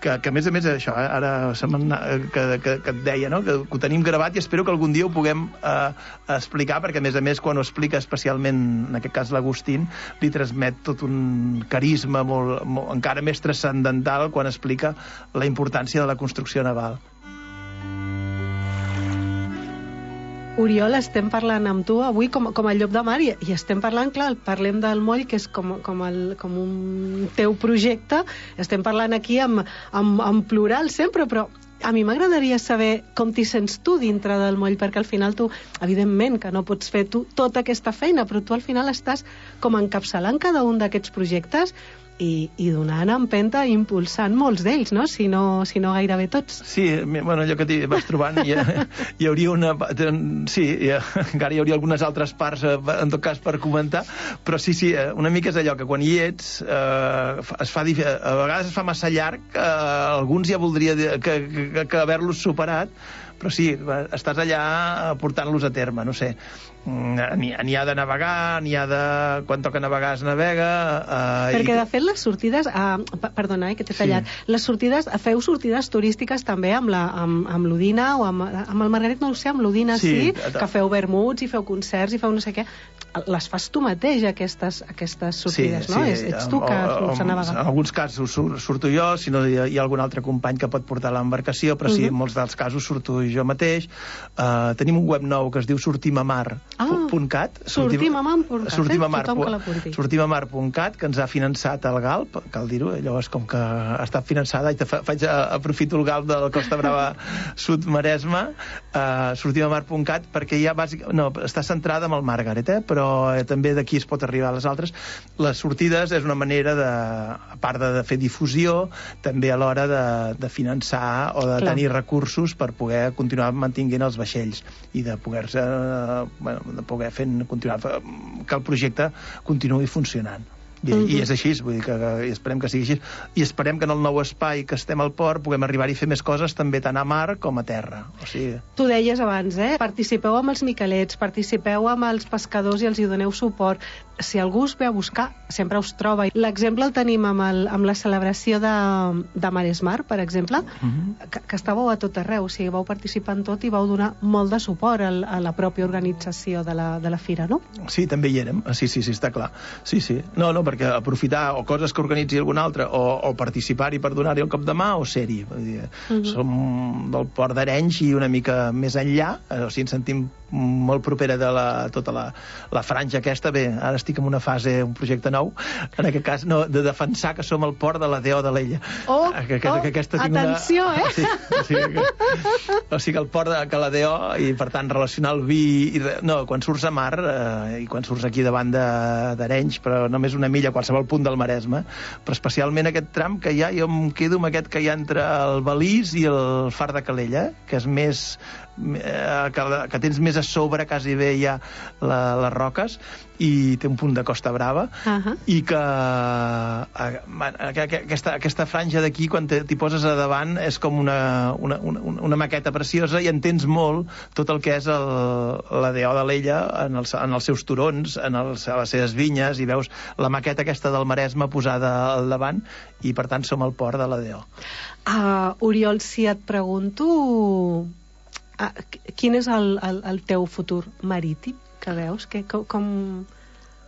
que, que a més a més això, eh, ara se que, que, que et deia, no? que, que ho tenim gravat i espero que algun dia ho puguem eh, explicar, perquè a més a més quan ho explica especialment, en aquest cas l'Agustín, li transmet tot un carisma molt, molt, encara més transcendental quan explica la importància de la construcció naval. Oriol, estem parlant amb tu avui com, com a Llop de Mar i, i estem parlant, clar, parlem del moll, que és com, com, el, com un teu projecte, estem parlant aquí amb, amb, amb plural sempre, però a mi m'agradaria saber com t'hi sents tu dintre del moll, perquè al final tu, evidentment que no pots fer tu tota aquesta feina, però tu al final estàs com encapçalant cada un d'aquests projectes i, i donant empenta i impulsant molts d'ells, no? Si no, si no gairebé tots. Sí, bueno, allò que t'hi vas trobant hi, hi hauria una... Sí, hi, encara hi hauria algunes altres parts en tot cas per comentar, però sí, sí, una mica és allò que quan hi ets eh, es fa, a vegades es fa massa llarg, eh, alguns ja voldria que, que, que haver-los superat, però sí, estàs allà portant-los a terme, no sé. N'hi ha de navegar, n'hi ha de... Quan toca navegar es navega... Eh, Perquè, i... de fet, les sortides... Eh, perdona, eh, que t'he tallat. Sí. Les sortides... Feu sortides turístiques també amb la, amb, amb l'Udina o amb, amb el Margaret, no ho sé, amb l'Udina sí, sí, que feu vermuts i feu concerts i feu no sé què. Les fas tu mateix, aquestes, aquestes sortides, sí, no? Sí, ets tu que surts a navegar. En alguns casos surto jo, si no hi ha, hi ha algun altre company que pot portar l'embarcació, però sí, uh-huh. en molts dels casos surto jo mateix. Uh, tenim un web nou que es diu sortim a mar punt cat. Ah, sortim a mar punt cat, sortim a mar, tothom que l'apunti. sortim a mar punt cat, que ens ha finançat el GALP, cal dir-ho, llavors com que ha estat finançada, i te fa, faig, aprofito el GALP de la Costa Brava Sud Maresme, uh, sortim a mar punt cat, perquè ja bàsicament, no, està centrada en el Margaret, eh, però eh, també d'aquí es pot arribar a les altres. Les sortides és una manera de, a part de, de fer difusió, també a l'hora de, de finançar o de Clar. tenir recursos per poder continuar mantinguent els vaixells i de poder-se, eh, bueno, de poder fent, continuar, que el projecte continuï funcionant. I, uh-huh. i és així, vull dir que, que esperem que sigui així, i esperem que en el nou espai que estem al port puguem arribar-hi a fer més coses també tant a mar com a terra. O sigui... Tu deies abans, eh? Participeu amb els miquelets, participeu amb els pescadors i els hi doneu suport. Si algú us ve a buscar, sempre us troba. L'exemple el tenim amb, el, amb la celebració de, de Maresmar, per exemple, uh-huh. que, que estàveu a tot arreu, o sigui, vau participar en tot i vau donar molt de suport al, a la pròpia organització de la, de la fira, no? Sí, també hi érem, sí, sí, sí, està clar. Sí, sí. No, no, perquè aprofitar o coses que organitzi algun altre o, o participar-hi per donar-hi el cop de mà o ser-hi. Uh-huh. Som del Port d'Arenys i una mica més enllà, o sigui, ens sentim molt propera de la, tota la, la franja aquesta. Bé, ara estic en una fase, un projecte nou, en aquest cas, no, de defensar que som el port de la D O de l'Ella. Oh, que, que, oh que aquesta atenció, una... eh? Sí, o sigui, que, o sigui, el port de que la D O, i per tant relacionar el vi... I, no, quan surts a mar, eh, i quan surts aquí davant d'Arenys, però només una milla a qualsevol punt del Maresme, però especialment aquest tram que hi ha, jo em quedo amb aquest que hi ha entre el Balís i el Far de Calella, que és més... Que, que tens més a sobre, quasi bé hi ha la, les roques, i té un punt de Costa Brava, uh-huh. i que, a, que aquesta, aquesta franja d'aquí, quan t'hi poses a davant, és com una, una, una, una maqueta preciosa, i entens molt tot el que és el, la D O de l'Ella en els, en els seus turons, en els, a les seves vinyes, i veus la maqueta aquesta del Maresme posada al davant, i per tant som al port de la D O. Uh, Oriol, si et pregunto... Ah, quin és el, el, el teu futur marítim que veus? Que, com, com,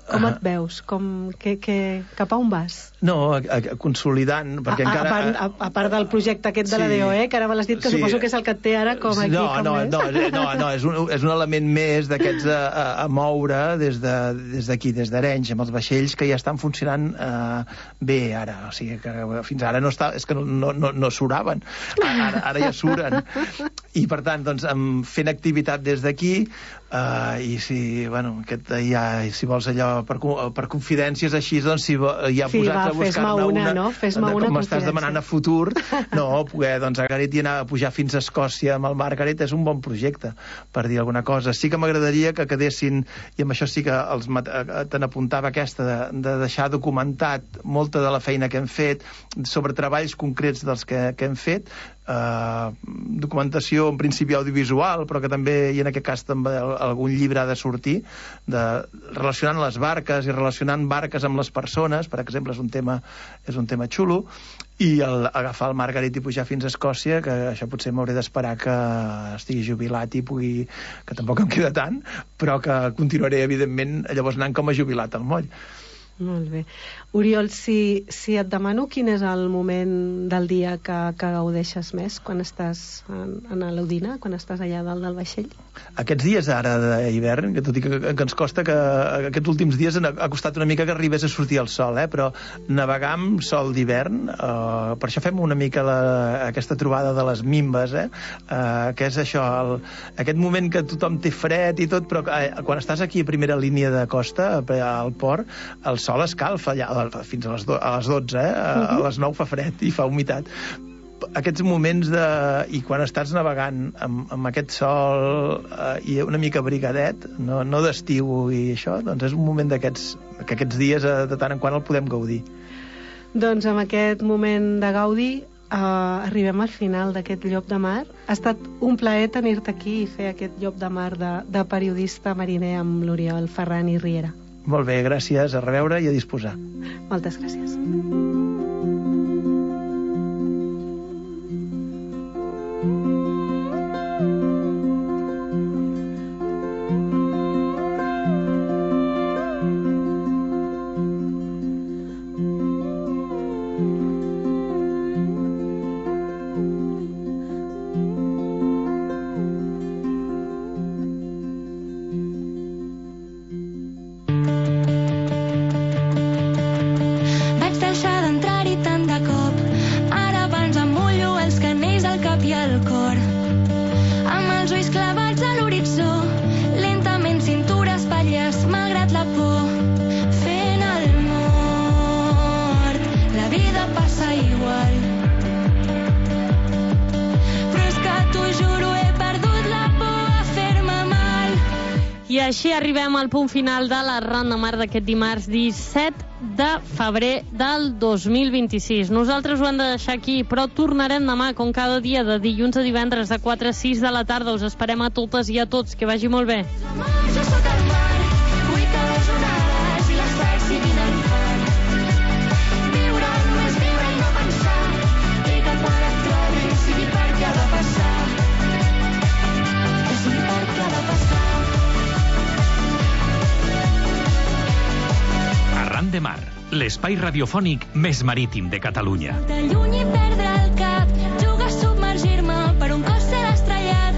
com et veus? Com, que, que, cap a on vas? No, a, a, consolidant, perquè a, encara... A part, a, a part del projecte aquest de la D O E, que ara me l'has dit, que sí. Suposo que és el que et té ara com aquí, no, com no, més. No, no, no, és un, és un element més d'aquests a, a, a moure des d'aquí, de, des d'Arenys, amb els vaixells que ja estan funcionant eh, bé ara, o sigui que fins ara no està, és que no, no, no, no suraven, ara, ara ja suren, i per tant, doncs, fent activitat des d'aquí, eh, i si, bueno, aquest, ja, si vols allò per, per confidències així, doncs, si ja sí, posats va, a buscar-ne una, una, no? Fes-me com una m'estàs demanant a futur, no, poder, doncs, a Garet i anar a pujar fins a Escòcia amb el Margaret és un bon projecte, per dir alguna cosa. Sí que m'agradaria que quedessin, i amb això sí que els, te n'apuntava aquesta, de, de deixar documentat molta de la feina que hem fet, sobre treballs concrets dels que, que hem fet, eh, documentació en principi audiovisual, però que també, i en aquest cas també algun llibre ha de sortir, de, relacionant les barques i relacionant barques amb les persones, per exemple, és un tema, és un tema xulo, i el, agafar el Margaret i pujar fins a Escòcia, que això potser m'hauré d'esperar que estigui jubilat i pugui, que tampoc em queda tant, però que continuaré, evidentment, llavors anant com a jubilat al moll. Molt bé. Oriol, si, si et demano quin és el moment del dia que, que gaudeixes més quan estàs en, en l'Udina, quan estàs allà dalt del vaixell? Aquests dies ara d'hivern, que tot i que, que ens costa que aquests últims dies ha costat una mica que arribés a sortir el sol, eh? Però navegar amb sol d'hivern, eh, per això fem una mica la, aquesta trobada de les mimbes, eh? Eh, que és això, el, aquest moment que tothom té fred i tot, però eh, quan estàs aquí a primera línia de costa, al port, el sol escalfa allà fins a les, do, a les dotze, eh? A les nou fa fred i fa humitat. Aquests moments de... i quan estàs navegant amb, amb aquest sol eh, i una mica abrigadet, no, no d'estiu i això, doncs és un moment d'aquests que aquests dies eh, de tant en quant el podem gaudir. Doncs amb aquest moment de gaudi eh, arribem al final d'aquest Llop de Mar. Ha estat un plaer tenir-te aquí i fer aquest Llop de Mar de, de periodista mariner amb l'Oriol Ferran i Riera. Molt bé, gràcies, a reveure i a disposar. Moltes gràcies. I així arribem al punt final de la Ronda Mar d'aquest dimarts disset de febrer del dos mil vint-i-sis. Nosaltres ho hem de deixar aquí, però tornarem demà, com cada dia, de dilluns a divendres, de quatre a sis de la tarda. Us esperem a totes i a tots. Que vagi molt bé. De Mar, l'espai radiofònic més marítim de Catalunya. De lluny i perdre el cap, jugar a submergir-me per un cos ser estrellat.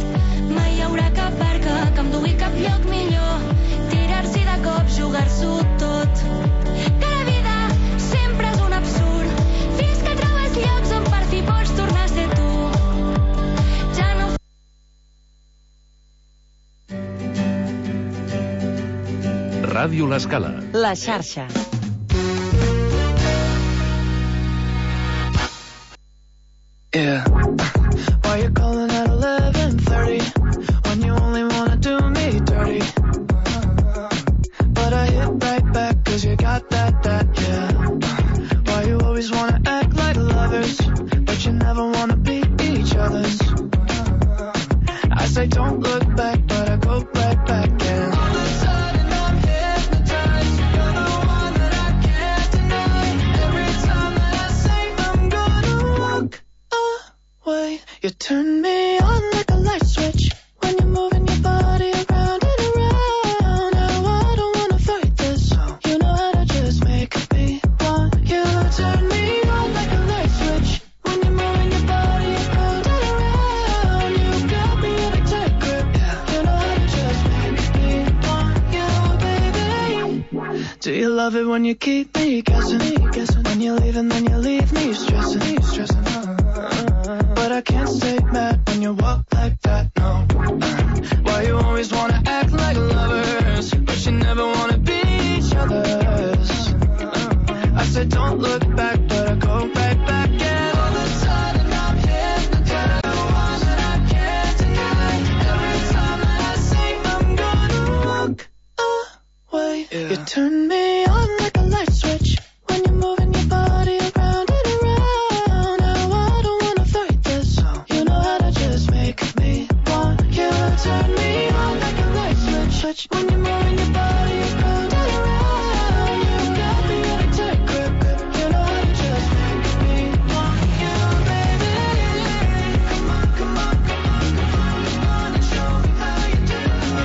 Mai hi haurà cap barca que em dugui cap lloc millor. Tirar-s'hi de cop, jugar-s'ho tot. Que la vida sempre és un absurd. Fins que trobes llocs on per fi pots tornar a ser tu. Ja no... Ràdio L'Escala. La xarxa. Yeah. Why you calling at eleven thirty when you only wanna do me dirty? But I hit right back cause you got that, that, yeah. Why you always wanna act like lovers but you never wanna be each other's? I say don't look back but I go right back and all of a sudden I'm hypnotized. You're the one that I can't deny. Every time that I say I'm gonna walk away, you turn me on like a light switch when you're moving your body around and around. Now I don't wanna fight this, you know how to just make me want you. Turn me on like a light switch when you're moving your body around and around. You got me in a tight grip, you know how to just make me want you, baby. Do you love it when you keep me guessing? When you leave and then you leave me stressing, stressing. But I can't stay mad when you walk like that, no. Why you always wanna act like lovers but you never wanna be each other's? I said don't look back but I go right back and all of a sudden I'm hypnotized. The one that I can't deny. Every time that I say I'm gonna walk away, yeah. You turn me on like a light switch when you're moving your body around and around. Now I don't wanna fight this, moving your body around and around. You got me in a tight grip, grip. You know how to just make me want you, baby. Come on, come on, come on, come on, come on and show me how you do,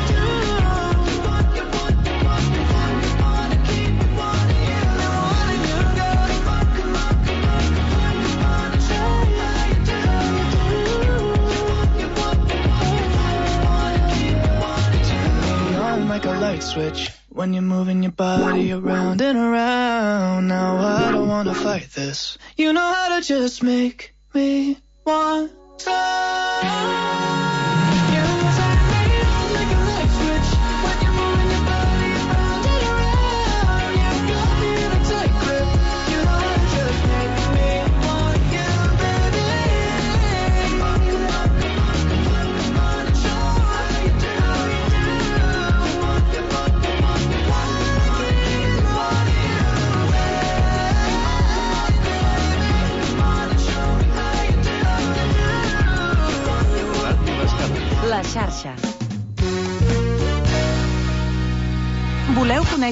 do. You want, you want, you want, you want, you wanna keep me wanting you, wanting you, girl. Come on, come on, come on, come on, come on and show me how you do, do. You want, you want, you want, you want, you wanna keep me wanting you. Turn me on like a light switch when you're moving your body around and around. Now I don't wanna fight this. You know how to just make me want some. You turn me on like a light switch when you're moving your body around and around. You got me in a tight grip. You know how to just make me want you, baby. Come on, come on, come on, come on, come on and show me how you do, you do. You want, you want, you want, you want, you wanna keep me wanting you, baby. Come on and show me how you do, you do. La xarxa. Voleu conèixer